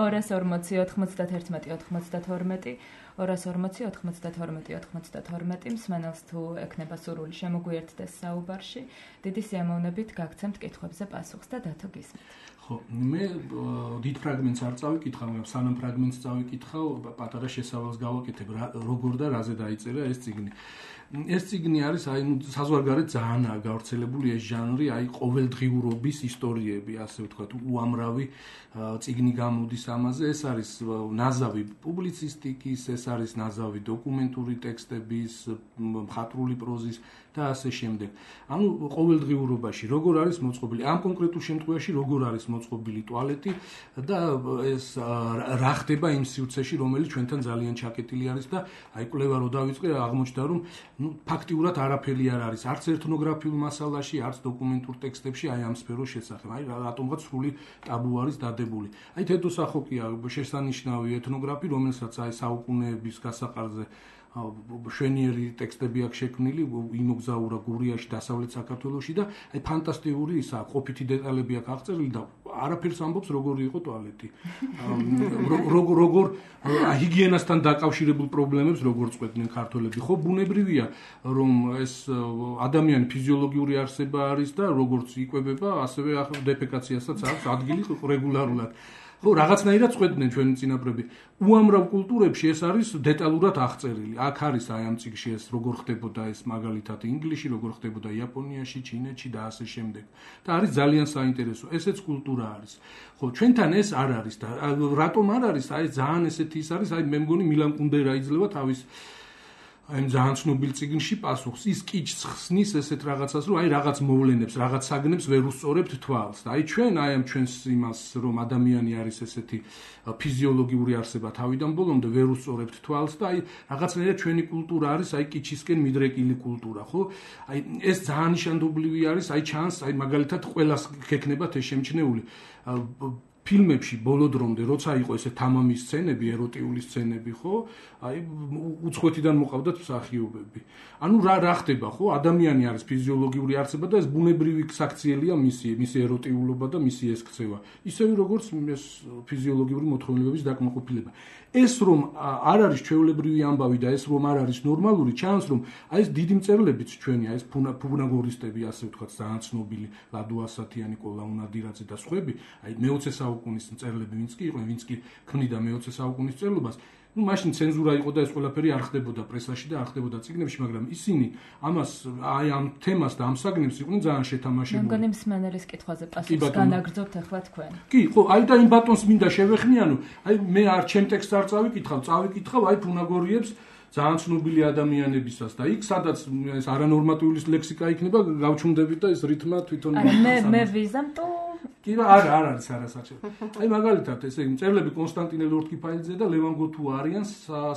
ორას ორმოცი ოთხმოცდათერთმეტი ოთხმოცდათორმეტი ორას ორმოცი ოთხმოცდათორმეტი ოთხმოცდათორმეტი მსმენელს თუ ექნება სურვილი შემოგვიერთდეს საუბარში, დიდი სიამოვნებით გაგცემთ კითხვებზე პასუხს და დათო გისმით. ხო, მე დიდ ფრაგმენტს არ წავიკითხავ, სანამ ფრაგმენტს წავიკითხავ, პატარა შესავალს გავაკეთებ, როგორ და რაზე დაიწერა ეს წიგნი. ეს წიგნი არის აი საზღვარგარეთ ძალიან გავრცელებული ეს ჟანრი, აი ყოველდღიურობის ისტორიები, ასე ვთქვათ, უამრავი წიგნი გამოდის ამაზე. ეს არის ნაზავი პუბლიცისტიკის, ეს არის ნაზავი დოკუმენტური ტექსტების, მხატვრული პროზის და ასე შემდეგ. ანუ ყოველდღიურობაში როგორ არის მოწყობილი, ამ კონკრეტულ შემთხვევაში როგორ არის მოწყობილი ტუალეტი და ეს რა ხდება იმ სივრცეში, რომელიც ჩვენთან ძალიან ჩაკეტილი არის და აი კვლევა რო დავიწყე, აღმოჩნდა რომ ну ფაქტიურად არაფერი არ არის არც ეთნოგრაფიულ მასალაში, არც დოკუმენტურ ტექსტებში აი ამ სფეროს შესახებ. აი რატომღაც სრული ტაბუ არის დადებული. აი თეთროსახოკია შესანიშნავი ეთნოგრაფი, რომელსაც აი საუკუნეების გასაყარზე შვენიერი ტექსტები აქვს შექმნილი, იმოგზაურა გურიაში, დასავლეთ საქართველოში და აი ფანტასტიკური ისა ყოფითი დეტალები აქვს აღწერილი და არაფერს ამბობს როგორი იყო ტუალეტი. როგორ როგორ ჰიგიენასთან დაკავშირებულ პრობლემებს როგორ წყვეტდნენ ქართველები. ხო, ბუნებრივია, რომ ეს ადამიანი ფიზიოლოგიური არსება არის და როგორც იკვებება, ასევე დეფეკაციასაც აქვს ადგილი რეგულარულად. ხო, რაღაცნაირად წყვეტდნენ ჩვენი წინაპრები. უამრავ კულტურებში ეს არის დეტალურად აღწერილი. აქ არის აი ამ წიგნში ეს როგორ ხდებოდა ეს მაგალითად ინგლისში, როგორ ხდებოდა იაპონიაში, ჩინეთში და ასე შემდეგ. და არის ძალიან საინტერესო. ესეც კულტურა არის. ხო, ჩვენთან ეს არ არის და რატომ არ არის? აი ძალიან ესეთი ის არის, აი მე მგონი მილან კუნდერა იძლევა თავის აი ძალიან ცნობილ წიგნში პასუხს. ის კიჩს ხსნის ესეთ რაღაცას, რომ აი რაღაც მოვლენებს, რაღაც საგნებს ვერ უსწორებთ თვალს. და აი ჩვენ აი ამ ჩვენს იმას, რომ ადამიანი არის ესეთი ფიზიოლოგიური არსება თავიდან ბოლომდე ვერ უსწორებთ თვალს და აი რაღაცნაირად ჩვენი კულტურა არის აი კიჩისკენ მიდრეკილი კულტურა, ხო? აი ეს ძალიან ნიშანდობლივი არის, აი ჩანს, აი მაგალითად ყველას გექნებათ ეს შემჩნეული ფილმებში ბოლო დრომდე, როცა იყო ესე თამამის სცენები, ეროტიული სცენები, ხო? აი უცხოეთიდან მოყავდათ მსახიობები. ანუ რა რა ხდება, ხო? ადამიანი არის ფიზიოლოგიური არსება და ეს ბუნებრივი საქციელია მისი, მისი ეროტიულობა და მისი ეს ქცევა. ისევე როგორც ეს ფიზიოლოგიური მოთხოვნილების დაკმაყოფილება. ეს რომ არ არის ჩვეულებრივი ამბავი და ეს რომ არ არის ნორმალური, ჩანს რომ აი ეს დიდი მწერლებიც ჩვენი, აი ეს ფუნაგორისტები, ასე ვთქვათ, ძალიან ცნობილი ლადო ასათიანი, ნიკოლა უნადირაძე და სხვები, აი მეოცე საუკუნის მწერლები, ვინც კი იყვნენ, ვინც კი ქმნიდა მეოცე საუკუნის მწერლობას, ну მაშინ ცენზურა იყო და ეს ყველაფერი არ ხდებოდა პრესაში და არ ხდებოდა წიგნებში, მაგრამ ისინი ამას აი ამ თემას და ამ საგნებს იყვნენ ძალიან შეთამაშებული. მგონი მსმენელის კითხვაზე პასუხს განაგრძობთ ახლა თქვენ. კი, ხო, აი და იმ ბატონს მინდა შევეხმიანო, აი მე არ ჩემ ტექსტს არ წავიკითხავ, წავიკითხავ აი ფუნაგორიებს ძალიან ცნობილი ადამიანებისას და იქ სადაც ეს არანორმატიული ლექსიკა იქნება, გავჩუნდებით და ეს რითმა თვითონ არა მე მე ვიზამ თუ კი არა არ არის არასაჭირო. აი მაგალითად ესე იგი მწერლები კონსტანტინე ლორთქიფაიძე და ლევან გოთუა არიან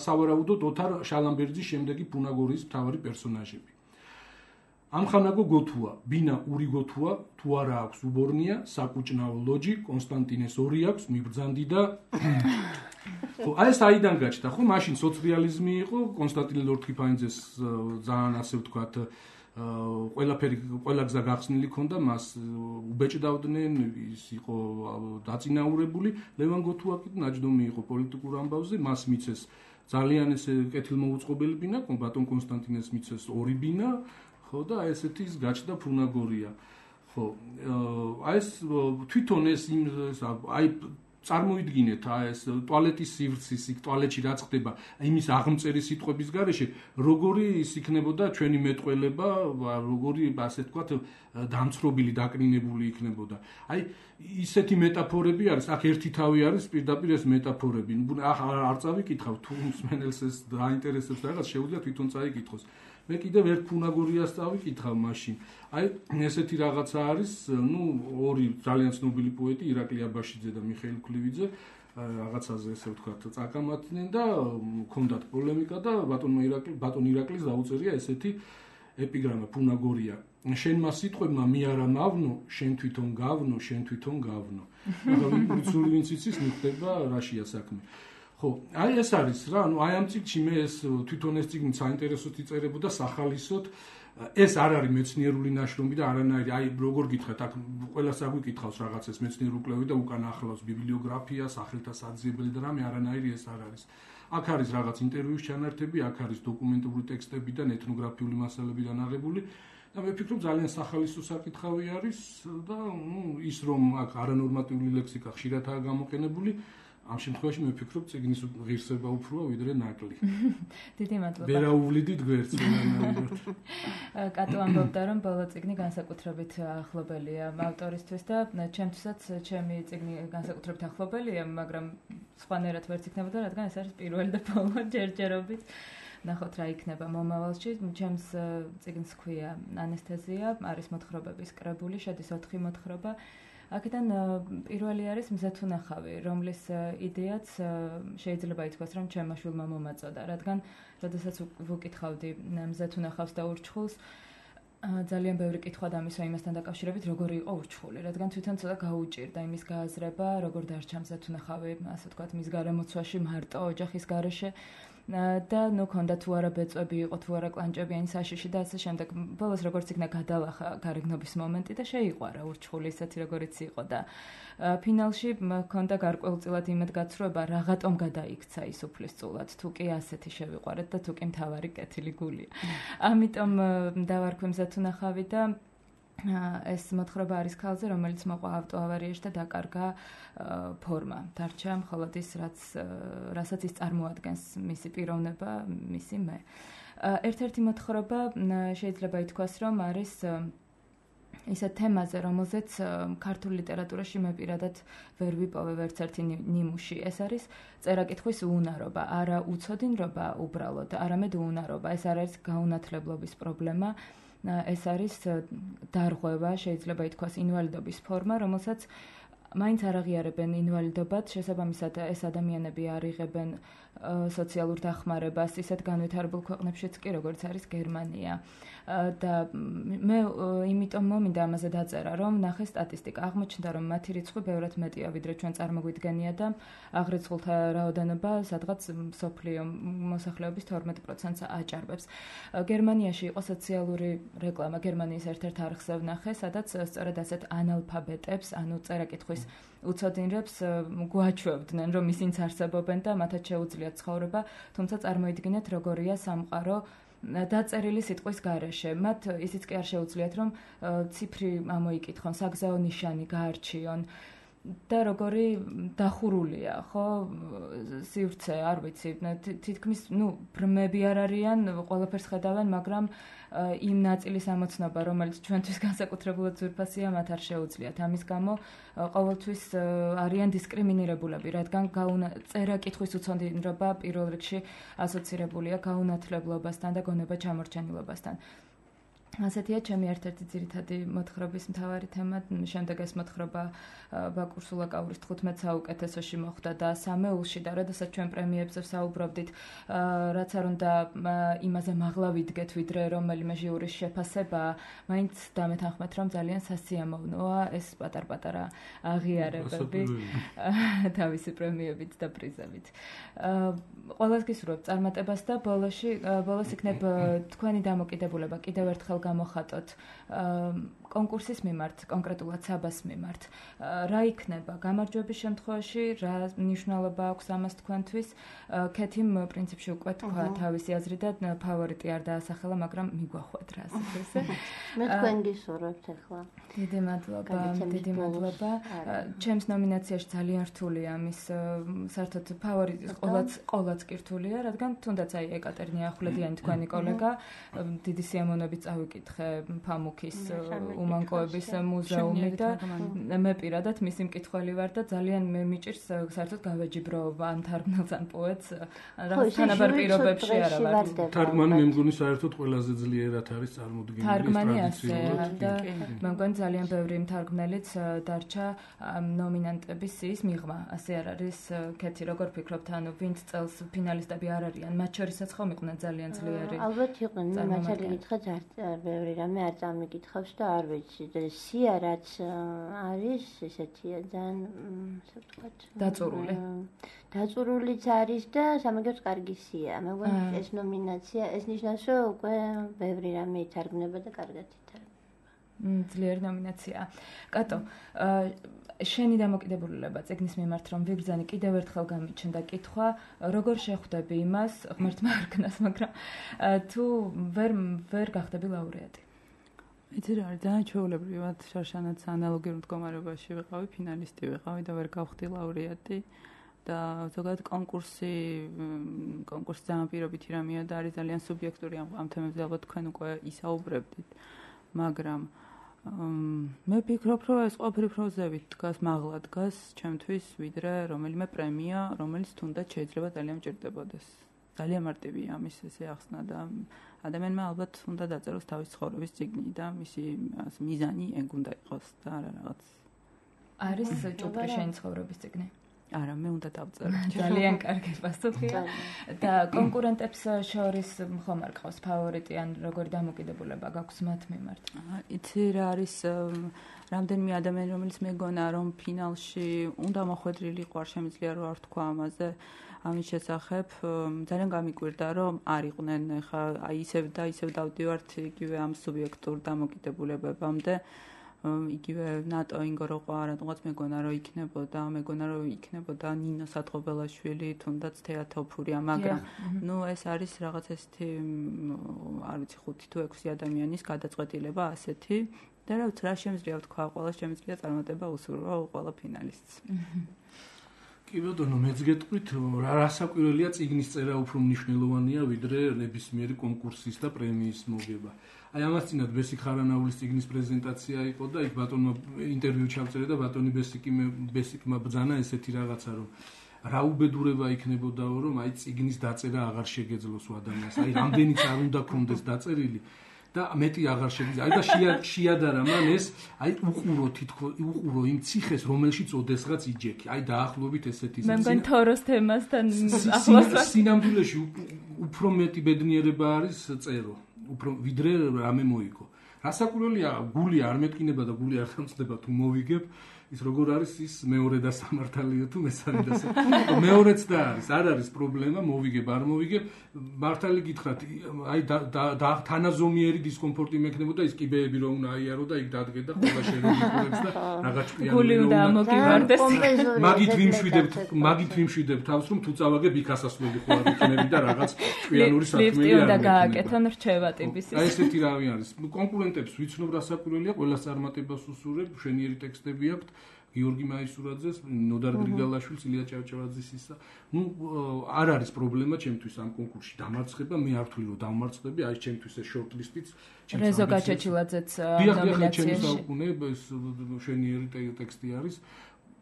სავარაუდოდ ოთარ შალამბერძის შემდეგი ფუნაგორიის მთავარი პერსონაჟები. ამხანაგო გოთუა, ბინა ური გოთუა, თუ არა აქვს უბორნია, საკუჭნაო ლოჯი, კონსტანტინეს ორი აქვს, მიბრძანდი და ხო, აი ეს აიდან გაჩნდა, ხო, მაშინ სოციალიზმი იყო, კონსტანტინე ლორთქიფაიძეს ძალიან ასე ვთქვათ ყველაფერი ყველა გზა გახსნილი ქონდა, მას უბეჭდავდნენ, ის იყო დაწინაურებული, ლევან გოთუა კი ნაჯდომი იყო პოლიტიკურ ამბავზე, მას მიცეს ძალიან ესე კეთილმოუწყობელი ბინა, ბატონ კონსტანტინეს მიცეს ორი ბინა, ხო და აი ესეთი ის გაჩნდა ფუნაგორია. ხო, აი ეს თვითონ ეს აი წარმოიდგინეთ აი ეს ტუალეტის სივრცის, იქ ტუალეტში რაც ხდება, იმის აღმწერი სიტყვების გარეშე, როგორი ის იქნებოდა ჩვენი მეტყველება, როგორი ასე ვთქვათ, დამცრობილი, დაკნინებული იქნებოდა. აი ისეთი მეტაფორები არის, აქ ერთი თავი არის პირდაპირ ეს მეტაფორები. არ წავიკითხავ, თუ მსმენელს ეს დაინტერესებს რაღაც, შეუძლია თვითონ წაიკითხოს. მე კიდევ ერთ ფუნაგორიას წავიკითხავ მაშინ. აი ესეთი რაღაცა არის, ნუ ორი ძალიან ცნობილი პოეტი, ირაკლი აბაშიძე და მიხეილ ქლივიძე, რაღაცაზე ესე ვთქვათ, წაკამათდნენ და ჰქონდათ პოლემიკა და ბატონმა ირაკლი, ბატონ ირაკლის დაუწერია ესეთი ეპიგრამა ფუნაგორია. შენ მას სიტყვებმა მე არა მავნო, შენ თვითონ გავნო, შენ თვითონ გავნო. ახლა ვიწული ვინც იცის, მიხვდება რაშია საქმე. ხო, აი ეს არის რა, ანუ აი ამ წიგნში მე ეს თვითონ ეს წიგნი საინტერესოდ იწერებოდა სახალისოდ. ეს არ არის მეცნიერული ნაშრომი და არანაირი, აი როგორ გითხრათ, აქ ყველას აგვიკითხავს რაღაცას მეცნიერულ კვლევით და უკან ახლავს ბიბლიოგრაფია, სახელთა საძიებელი და რამე, არანაირი ეს არ არის. აქ არის რაღაც ინტერვიუს ჩანართები, აქ არის დოკუმენტური ტექსტებიდან, ეთნოგრაფიული მასალებიდან აღებული. და მე ვფიქრობ ძალიან სახალისო საკითხავი არის და ნუ ის რომ აქ არანორმატიული ლექსიკა ხშირადაა გამოყენებული, ამ შემთხვევაში მე ვფიქრობ წიგნის ღირსება უფროა ვიდრე ნაკლი. დიდი მადლობა. ვერავუვლიდით გვერდს ვერანაირად. კატო ამბობდა რომ ბოლო წიგნი განსაკუთრებით ახლობელია ავტორისთვის და ჩემთვისაც ჩემი წიგნი განსაკუთრებით ახლობელია, მაგრამ სხვანაირად ვერც იქნებოდა, რადგან ეს არის პირველი და ბოლო ჯერჯერობით. ნახოთ რა იქნება მომავალში. ჩემს წიგნს ჰქვია ანესთეზია, არის მოთხრობების კრებული, შედის ოთხი მოთხრობა. აქედან პირველი არის მზეთუნახავი, რომლის იდეაც შეიძლება ითქვას, რომ ჩემმა შვილმა მომაწოდა, რადგან როდესაც ვუკითხავდი მზეთუნახავს და ურჩხულს, ძალიან ბევრი კითხვა დამისვა იმასთან დაკავშირებით, როგორი იყო ურჩხული, რადგან თვითონ ცოტა გაუჭირდა იმის გააზრება, როგორ დარჩა მზეთუნახავი, ასე ვთქვათ, მის გარემოცვაში მარტო ოჯახის გარეშე. და ნუ ქონდა თუ არა ბეწვები იყო, თუ არა კლანჭებიანი საშიში და ასე შემდეგ. ბოლოს როგორც იქნა გადალახა გარეგნობის მომენტი და შეიყვარა ურჩხული ისეთი როგორიც იყო და ფინალში ქონდა გარკვეულწილად იმედგაცრუება, რაღაცომ გადაიქცა ის უფლისწულად, თუ კი ასეთი შევიყვარეთ და თუ კი მთავარი კეთილი გულია. ამიტომ დავარქვი მზეთუნახავი და ეს მოთხრობა არის ქალზე, რომელიც მოყვა ავტოავარიაში და დაკარგა ფორმა. დარჩა მხოლოდ ის, რაც რასაც ის წარმოადგენს, მისი პიროვნება, მისი მე. ერთ-ერთი მოთხრობა შეიძლება ითქვას, რომ არის ისეთ თემაზე, რომელზეც ქართულ ლიტერატურაში მე პირადად ვერ ვიპოვე ვერც ერთი ნიმუში. ეს არის წერა-კითხვის უუნარობა, არა უცოდინრობა უბრალოდ, არამედ უუნარობა. ეს არ არის გაუნათლებლობის პრობლემა. ეს არის დარღვევა, შეიძლება ითქვას ინვალიდობის ფორმა, რომელსაც მაინც არ აღიარებენ ინვალიდობად, შესაბამისად ეს ადამიანები არ იღებენ სოციალურ დახმარებას ისეთ განვითარებულ ქვეყნებშიც კი, როგორც არის გერმანია. და მე იმიტომ მომინდა ამაზე დაწერა, რომ ნახე სტატისტიკა, აღმოჩნდა, რომ მათი რიცხვი ბევრად მეტია, ვიდრე ჩვენ წარმოგვიდგენია და აღრიცხულთა რაოდენობა სადღაც მსოფლიო მოსახლეობის თორმეტ პროცენტს აჭარბებს. გერმანიაში იყო სოციალური რეკლამა, გერმანიის ერთ-ერთ არხზე ვნახე, სადაც სწორედ ასეთ ანალფაბეტებს, ანუ წერა-კითხვის უცოდინრებს გვაჩვევდნენ, რომ ისინიც არსებობენ და მათაც შეუძლიათ ცხოვრება, თუმცა წარმოიდგინეთ, როგორია სამყარო დაწერილი სიტყვის გარეშე. მათ ისიც კი არ შეუძლიათ, რომ ციფრი ამოიკითხონ, საგზაო ნიშანი გაარჩიონ. და როგორი დახურულია, ხო, სივრცე, არ ვიცი, თითქმის, ну, ბრმები არ არიან, ყველაფერს ხედავენ, მაგრამ იმ ნაწილის ამოცნობა, რომელიც ჩვენთვის განსაკუთრებულად ძვირფასია, მათ არ შეუძლიათ. ამის გამო ყოველთვის არიან დისკრიმინირებულები, რადგან წერა-კითხვის უცოდინრობა პირველ რიგში ასოცირებულია გაუნათლებლობასთან და გონება ჩამორჩენილობასთან. ასეთია ჩემი ერთ-ერთი ძირითადი მოთხრობის მთავარი თემა. შემდეგ ეს მოთხრობა ბაკურ სულაკაურის თხუთმეტ საუკეთესოში მოხვდა და სამეულში და როდესაც ჩვენ პრემიებზე ვსაუბრობდით, რაც არ უნდა იმაზე მაღლა ვიდგეთ, ვიდრე რომელიმე ჟიურის შეფასება, მაინც დამეთანხმეთ, რომ ძალიან სასიამოვნოა ეს პატარ-პატარა აღიარებები თავისი პრემიებით და პრიზებით. ყველას გისურვებ წარმატებას და ბოლოში ბოლოს იქნებ თქვენი დამოკიდებულება კიდევ ერთხელ გამოხატოთ კონკურსის მიმართ, კონკრეტულად საბას მიმართ. რა იქნება გამარჯვების შემთხვევაში, რა მნიშვნელობა აქვს ამას თქვენთვის? ქეთიმ პრინციპში უკვე თქვა თავისი აზრი და ფავორიტი არ დაასახელა, მაგრამ მიგვახვათ რა ასე ესე. მე თქვენ გისურვებთ ახლა. დიდი მადლობა, დიდი მადლობა. ჩემს ნომინაციაში ძალიან რთულია ამის საერთოდ ფავორიტი ყოველაც ყოველაც კი რთულია, რადგან თუნდაც აი ეკატერინე ახვლედიანი თქვენი კოლეგა დიდი სიამოვნებით წავიკითხე ფამუქის უმანკოების მუზეუმი და მე პირადად მისი მკითხველი ვარ და ძალიან მე მიჭირს საერთოდ გავეჯიბრო ამ თარგმნელს ან პოეტს რაღაც თანაბარ პირობებში არა ვარ. თარგმანი მე მგონი საერთოდ ყველაზე ძლიერად არის წარმოდგენილი ტრადიციულად და მე მგონი ძალიან ბევრი მთარგმნელიც დარჩა ნომინანტების სიის მიღმა. ასე არ არის ქეთი როგორ ფიქრობთ, ანუ ვინც წელს ფინალისტები არ არიან, მათ შორისაც ხომ იყვნენ ძალიან ძლიერი. ალბათ იყვნენ, მე მაშინ გითხრათ არ ბევრი რამე არ წამიკითხავს და არ ვიცი. სია რაც არის ესეთია ძალიან ასე ვთქვათ დაწურული. დაწურულიც არის და სამაგერს კარგი სია. მე მგონი ეს ნომინაცია ეს ნიშნავს რომ უკვე ბევრი რამე ითარგმნება და კარგად ითარგმნება. ძლიერი ნომინაციაა. კატო, შენი დამოკიდებულება წიგნის მიმართ რომ ვიბრძანი კიდევ ერთხელ გამიჩნდა კითხვა, როგორ შეხვდები იმას, ღმერთმა არ ქნას, მაგრამ თუ ვერ ვერ გახდები ლაურეატი. იცი რა არის, ძალიან ჩვეულებრივად შარშანაც ანალოგიურ მდგომარეობაში ვიყავი, ფინალისტი ვიყავი და ვერ გავხდი ლაურეატი და ზოგადად კონკურსი კონკურსი ძალიან პირობითი რამეა და არის ძალიან სუბიექტური ამ თემებზე ალბათ თქვენ უკვე ისაუბრებდით, მაგრამ მე ვფიქრობ, რომ ეს ყოფილი პროზებით დგას, მაღლა დგას ჩემთვის, ვიდრე რომელიმე პრემია, რომელიც თუნდაც შეიძლება ძალიან მჭირდებოდეს. ძალიან მარტივია ამის ესე ახსნა და ადამიანმა ალბათ უნდა დაწეროს თავის ცხოვრების წიგნი და მისი მიზანი ეგ უნდა იყოს და არა რაღაც. არის ჭუპრი შენი ცხოვრების წიგნი? არა, მე უნდა დავწერო. ძალიან კარგი პასუხია. და კონკურენტებს შორის ხომ არ ყავს ფავორიტი ან როგორი დამოკიდებულება გაქვს მათ მიმართ? იცი რა არის რამდენიმე ადამიანი, რომელიც მეგონა რომ ფინალში უნდა მოხვედრილი იყო, არ შემიძლია რომ არ თქვა ამაზე. ამის შესახებ ძალიან გამიკვირდა რომ არ იყვნენ ხა აი ისევ და ისევ დავდივართ იგივე ამ სუბიექტურ დამოკიდებულებებამდე იგივე ნატო ინგო რო ყვა რატომაც მეგონა რომ იქნებოდა მეგონა რომ იქნებოდა ნინო სათხობელაშვილი თუნდაც თეატოფურია მაგრამ ნუ ეს არის რაღაც ესეთი არ ვიცი ხუთი თუ ექვსი ადამიანის გადაწყვეტილება ასეთი და რა ვიცი რა შემიძლია ვთქვა ყველა შემიძლია წარმატება უსურვა ყველა ფინალისტს კი ბატონო მეც გეტყვით რა რასაკვირველია წიგნის წერა უფრო მნიშვნელოვანია ვიდრე ნებისმიერი კონკურსის და პრემიის მოგება. აი ამას წინათ ბესიკ ხარანაულის წიგნის პრეზენტაცია იყო და იქ ბატონმა ინტერვიუ ჩავწერე და ბატონი ბესიკი ბესიკმა ბძანა ესეთი რაღაცა რომ რა უბედურება იქნებოდაო რომ აი წიგნის დაწერა აღარ შეგეძლოს ადამიანს. აი რამდენიც არ უნდა კონდეს დაწერილი და მეტი აღარ შეგვიძლია. აი და შეადარა მან ეს, აი უყურო თითქოს უყურო იმ ციხეს, რომელშიც ოდესღაც იჯექი. აი დაახლოებით ესეთი მე მგონი თოროს თემასთან ახლოს ვარ. სინამდვილეში უფრო მეტი ბედნიერება არის წერო, უფრო ვიდრე რამე მოიგო. რასაკვირველია, გული არ მეტკინება და გული არ დამწდება თუ მოვიგებ. ის როგორ არის ის მეორე და სამართალია თუ მესამე და სამართალია მეორეც და არის არ არის პრობლემა მოვიგებ არ მოვიგებ მართალი გითხრათ აი და თანაზომიერი დისკომფორტი მექნებოდა ის კიბეები რომ უნდა აიარო და იქ დადგე და ყველა შერეულებს და რაღაც ჭკვიანი გული უნდა ამოგივარდეს მაგით ვიმშვიდებთ მაგით ვიმშვიდებ თავს რომ თუ წავაგებ იქ ასასვლელი ხო არ იქნები და რაღაც ჭკვიანური საქმეა ლიფტი უნდა გააკეთონ რჩევა ტიპის აი ესეთი რავი არის კონკურენტებს ვიცნობ რასაკვირველია ყველას წარმატებას უსურებ შენიერი ტექსტები აქვთ გიორგი მაისურაძეს, ნოდარ გრიგალაშვილს, ილია ჭავჭავაძის ისა. ნუ არ არის პრობლემა ჩემთვის ამ კონკურსში დამარცხება, მე არ ვთვლი რომ დამარცხები, აი ჩემთვის ეს შორტლისტიც, რეზო გაჩეჩილაძეც ნომინაციაში. ჩემი საუკუნე ეს შვენიერი ტექსტი არის.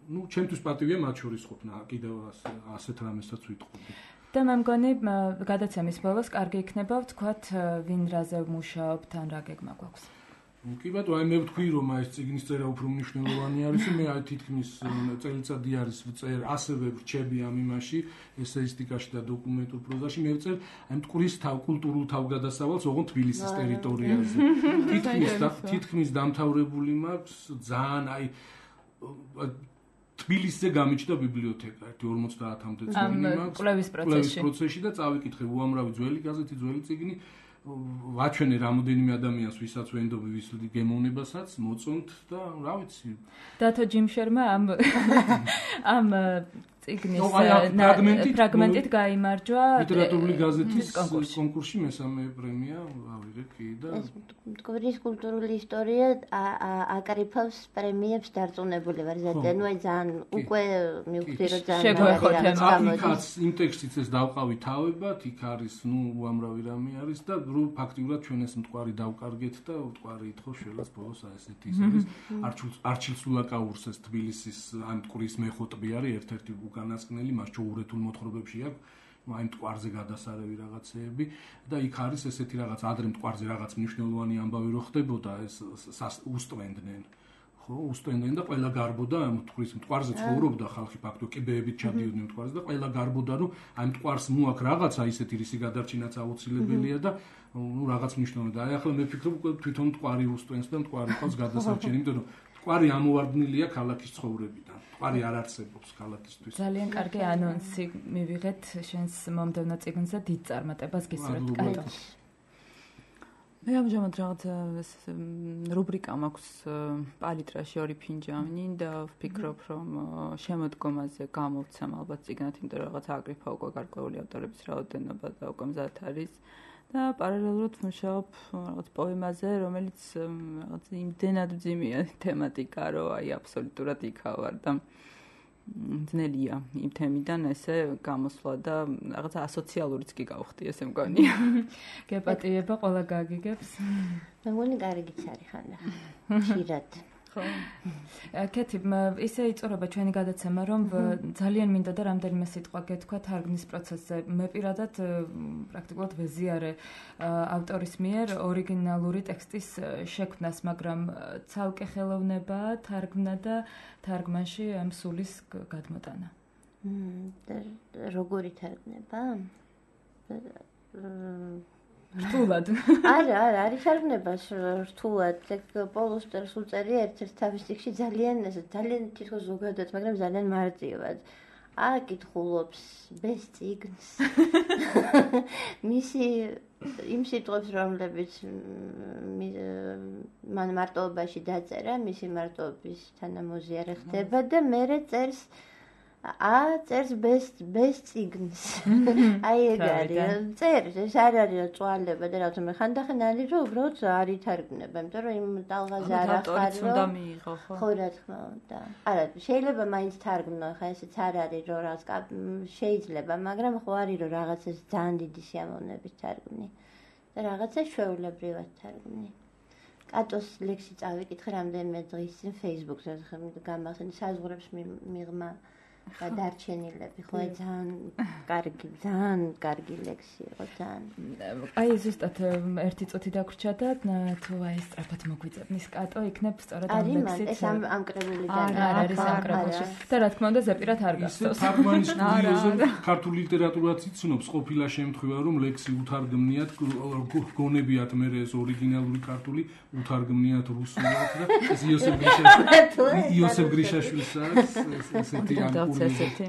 ნუ ჩემთვის პატივია მათ შორის ყოფნა, კიდევ ასეთ რამესაც ვიტყოდი. და მე მგონი გადაცემის ბოლოს კარგი იქნება ვთქვათ ვინ რაზე მუშაობთ ან რა გეგმა გვაქვს. კი ბატონო, აი მე ვთქვი რომ ეს წიგნის წერა უფრო მნიშვნელოვანი არის, მე აი თითქმის წელიწადი არის ვწერ, ასევე ვრჩები ამ იმაში, ესეისტიკაში და დოკუმენტურ პროზაში, მე ვწერ აი მტკვრის თავ კულტურულ თავგადასავალს, ოღონდ თბილისის ტერიტორიაზე. თითქმის თითქმის დამთავრებული მაქვს, ძალიან აი თბილისზე გამიჩნდა ბიბლიოთეკა, ერთი ორმოცდაათამდე წიგნი მაქვს. კვლევის პროცესში. პროცესში და წავიკითხე უამრავი ძველი გაზეთი, ძველი წიგნი. ვაჩვენე რამოდენიმე ადამიანს, ვისაც ვენდობი, ვის გემოვნებასაც, მოწონთ და რა ვიცი. დათო ჯიმშერმა ამ ამ წიგნის ფრაგმენტით გაიმარჯვა ლიტერატურული გაზეთის კონკურსში მესამე პრემია ავიღე კი და მტკვრის კულტურული ისტორია აკრიფავს პრემიებს დარწმუნებული ვარ ზედან, ნუ ძალიან უკვე მივხვდი რომ ძალიან აქაც იმ ტექსტიც ეს დავყავი თავებად, იქ არის ნუ უამრავი რამე არის და რომ ფაქტიურად ჩვენ ეს მტკვარი დავკარგეთ და მტკვარი ითხოვ შველას ბოლოს აი ესეთი ის არის არჩილ სულაკაურს ეს თბილისის ამ მტკვრის მეხოტბი არის ერთ-ერთი განასკნელი მას ჩოურეთულ მოთხრობებში აქვს აი მტკვარზე გადასარევი რაღაცეები და იქ არის ესეთი რაღაც ადრე მტკვარზე რაღაც მნიშვნელოვანი ამბავი რო ხდებოდა ეს უსტვენდნენ ხო უსტვენდნენ და ყველა გარბოდა ამ მტკვრის მტკვარზე ცხოვრობდა ხალხი ფაქტობრივად კიბეებით ჩადიოდნენ მტკვარზე და ყველა გარბოდა რომ აი მტკვარს მოაქვს რაღაცა ისეთი რისი გადარჩენაც აუცილებელია და ნუ რაღაც მნიშვნელოვანი და აი ახლა მე ვფიქრობ თვითონ მტკვარი უსტვენს და მტკვარი ყავს გადასარჩენი იმიტომ რომ მტკვარი ამოვარდნილია ქალაქის ცხოვრებიდან მტკვარი არ არსებობს ქალაქისთვის ძალიან კარგი ანონსი მივიღეთ შენს მომდევნო წიგნზე დიდ წარმატებას გისურვებთ კატო მე ამჟამად რაღაც რუბრიკა მაქვს პალიტრაში ორი ფინჯანი და ვფიქრობ რომ შემოდგომაზე გამოვცემ ალბათ წიგნად იმიტომ რომ რაღაც აკრიფა უკვე გარკვეული ავტორების რაოდენობა და უკვე მზად არის და პარალელურად ვმუშაობ რაღაც პოემაზე რომელიც რაღაც იმდენად მძიმეა თემატიკა რომ აი აბსოლუტურად იქავარ და ძნელია იმ თემიდან ესე გამოსვლა და რაღაცა ასოციალურიც კი გავხდი ესე მგონია. გეპატიება ყველა გაგიგებს. მე მგონი კარგიც არის ხანდა. ხშირად. ხო. კეთი, ისე იწურება ჩვენი გადაცემა, რომ ძალიან მინდა და რამდენიმე სიტყვა გეთქვა თარგმნის პროცესზე. მე პირადად პრაქტიკულად ვეზიარე ავტორის მიერ ორიგინალური ტექსტის შექმნას, მაგრამ ცალკე ხელოვნება თარგმნა და თარგმანში ამ სულის გადმოტანა. როგორი თარგმნება? რთულად. არა, არა, არის თარგმნება რთულად. პოლუსტერს უწერი ერთ-ერთ თავის წიგნში ძალიან ძალიან თითქოს ზოგადად, მაგრამ ძალიან მარტივად. აკითხულობს ბეს წიგნს. მისი იმ სიტყვებს, რომლებიც მან მარტოობაში დაწერა, მისი მარტოობის თანამოზიარე ხდება და მერე წერს ა წერს ბეს ბეს წიგნს. აი ეგ არის. წერს, ეს არ არის წვალება და რა თქმა უნდა ხანდახან არის რომ უბრალოდ არ ითარგმნება, იმიტომ რომ იმ ტალღაზე არ ახარ რომ უნდა მიიღო ხო? ხო რა თქმა უნდა. არა, შეიძლება მაინც თარგმნო, ხა ესეც არ არის რომ რაღაც შეიძლება, მაგრამ ხო არის რომ რაღაცას ძალიან დიდი სიამოვნებით თარგმნი და რაღაცა ჩვეულებრივად თარგმნი. კატოს ლექსი წავიკითხე რამდენიმე დღის წინ Facebook-ზე გამახსენე საზღვრებს მიღმა გადარჩენილები ხო ძალიან კარგი ძალიან კარგი ლექსი იყო ძალიან აი ზუსტად ერთი წუთი დაგვრჩა და თუ აი სწრაფად მოგვიწევნის კატო იქნებ სწორად ამ ლექსით ეს ამ ამ კრებულიდან არ არის ამ კრებულში და რა თქმა უნდა ზეპირად არ გასწოს თარგმანის კურიოზზე ქართული ლიტერატურაც იცნობს ყოფილა შემთხვევა რომ ლექსი უთარგმნიათ გონებიათ მე ეს ორიგინალური ქართული უთარგმნიათ რუსულად და ეს იოსებ გრიშაშვილის იოსებ გრიშაშვილის არის ესეთი ამ ესეთი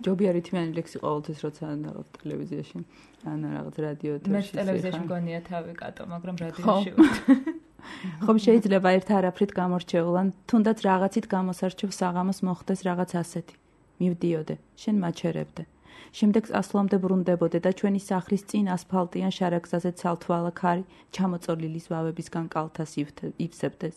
ჯობია რითმიანი ლექსი ყოველთვის როცა რაღაც ტელევიზიაში ან რაღაც რადიოთში მე ტელევიზიაში მგონია თავი კატო მაგრამ რადიოში ხომ შეიძლება ერთ არაფრით გამორჩეულან თუნდაც რაღაცით გამოსარჩევ საღამოს მოხდეს რაღაც ასეთი მივდიოდე შენ მაჩერებდე შემდეგ ასლამდე ბრუნდებოდე და ჩვენი სახლის წინ ასფალტიან შარაგზაზე ცალთვალა ქარი ჩამოწოლილი ზვავებისგან კალთას ივსებდეს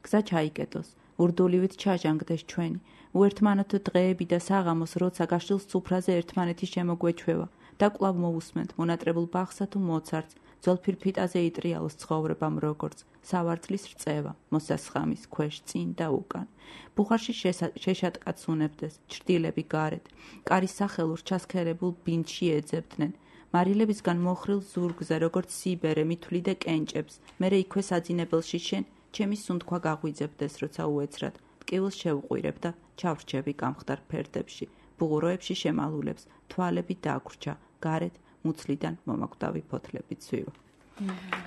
გზა ჩაიკეტოს ურდულივით ჩაჟანგდეს ჩვენი. უერთმანოთ დღეები და საღამოს, როცა გაშილს სუფრაზე ერთმანეთის შემოგვეჩვევა და კვლავ მოусმენთ მონატრებულ ბაღსა თუ მოცარტს, ძოლფირფიტაზე იტრიალოს ცხოვრებამ როგორც სავარწლის რწევა, მოსასხამის ქვეშ წინ და უკან. ბუხარში შეშატკაც უნებდეს, ჩრდილები გარეთ, კარის სახელურ ჩასქერებულ ბინდში ეძებდნენ. მარილებისგან მოხრილ ზურგზე, როგორც სიბერე, მithვლიდე კენჭებს, მერე იქვე საძინებელში შენ, ჩემი სუნთქვა გაღვიძებდეს, როცა უეცრად, ტკივილს შევყვირებ და ჩავრჩები გამხდარ ფერდებში, ბუღუროებში შემალულებს, თვალები დაგვრჩა, გარეთ მუცლიდან მომაკვდავი ფოთლები ცვივა.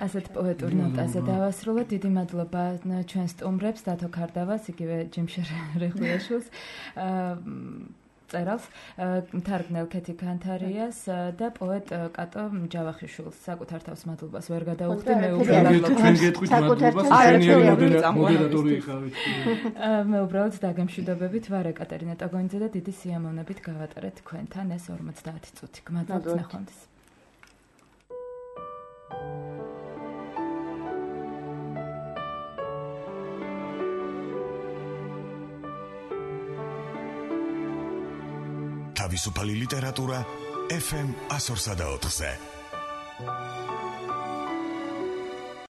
ასეთ პოეტურ ნოტაზე დავასრულოთ. დიდი მადლობა ჩვენ სტუმრებს, დათო ქარდავას, იგივე ჯიმშერ რეხვიაშვილს, წერალს, მთარგმნელ ქეთი ქანთარიას და პოეტ კატო ჯავახიშვილს. საკუთარ თავს მადლობას ვერ გადაუხდი, მე უბრალოდ თქვენ გეტყვით მადლობას, ჩვენი მოდერატორი იყავით. მე უბრალოდ დაგემშვიდობებით ვარ ეკატერინე ტოგონიძე და დიდი სიამოვნებით გავატარეთ თქვენთან ეს ორმოცდაათი წუთი. გმადლობთ ნახვამდის. თავისუფალი ლიტერატურა ეფ ემ one oh four point four-ზე.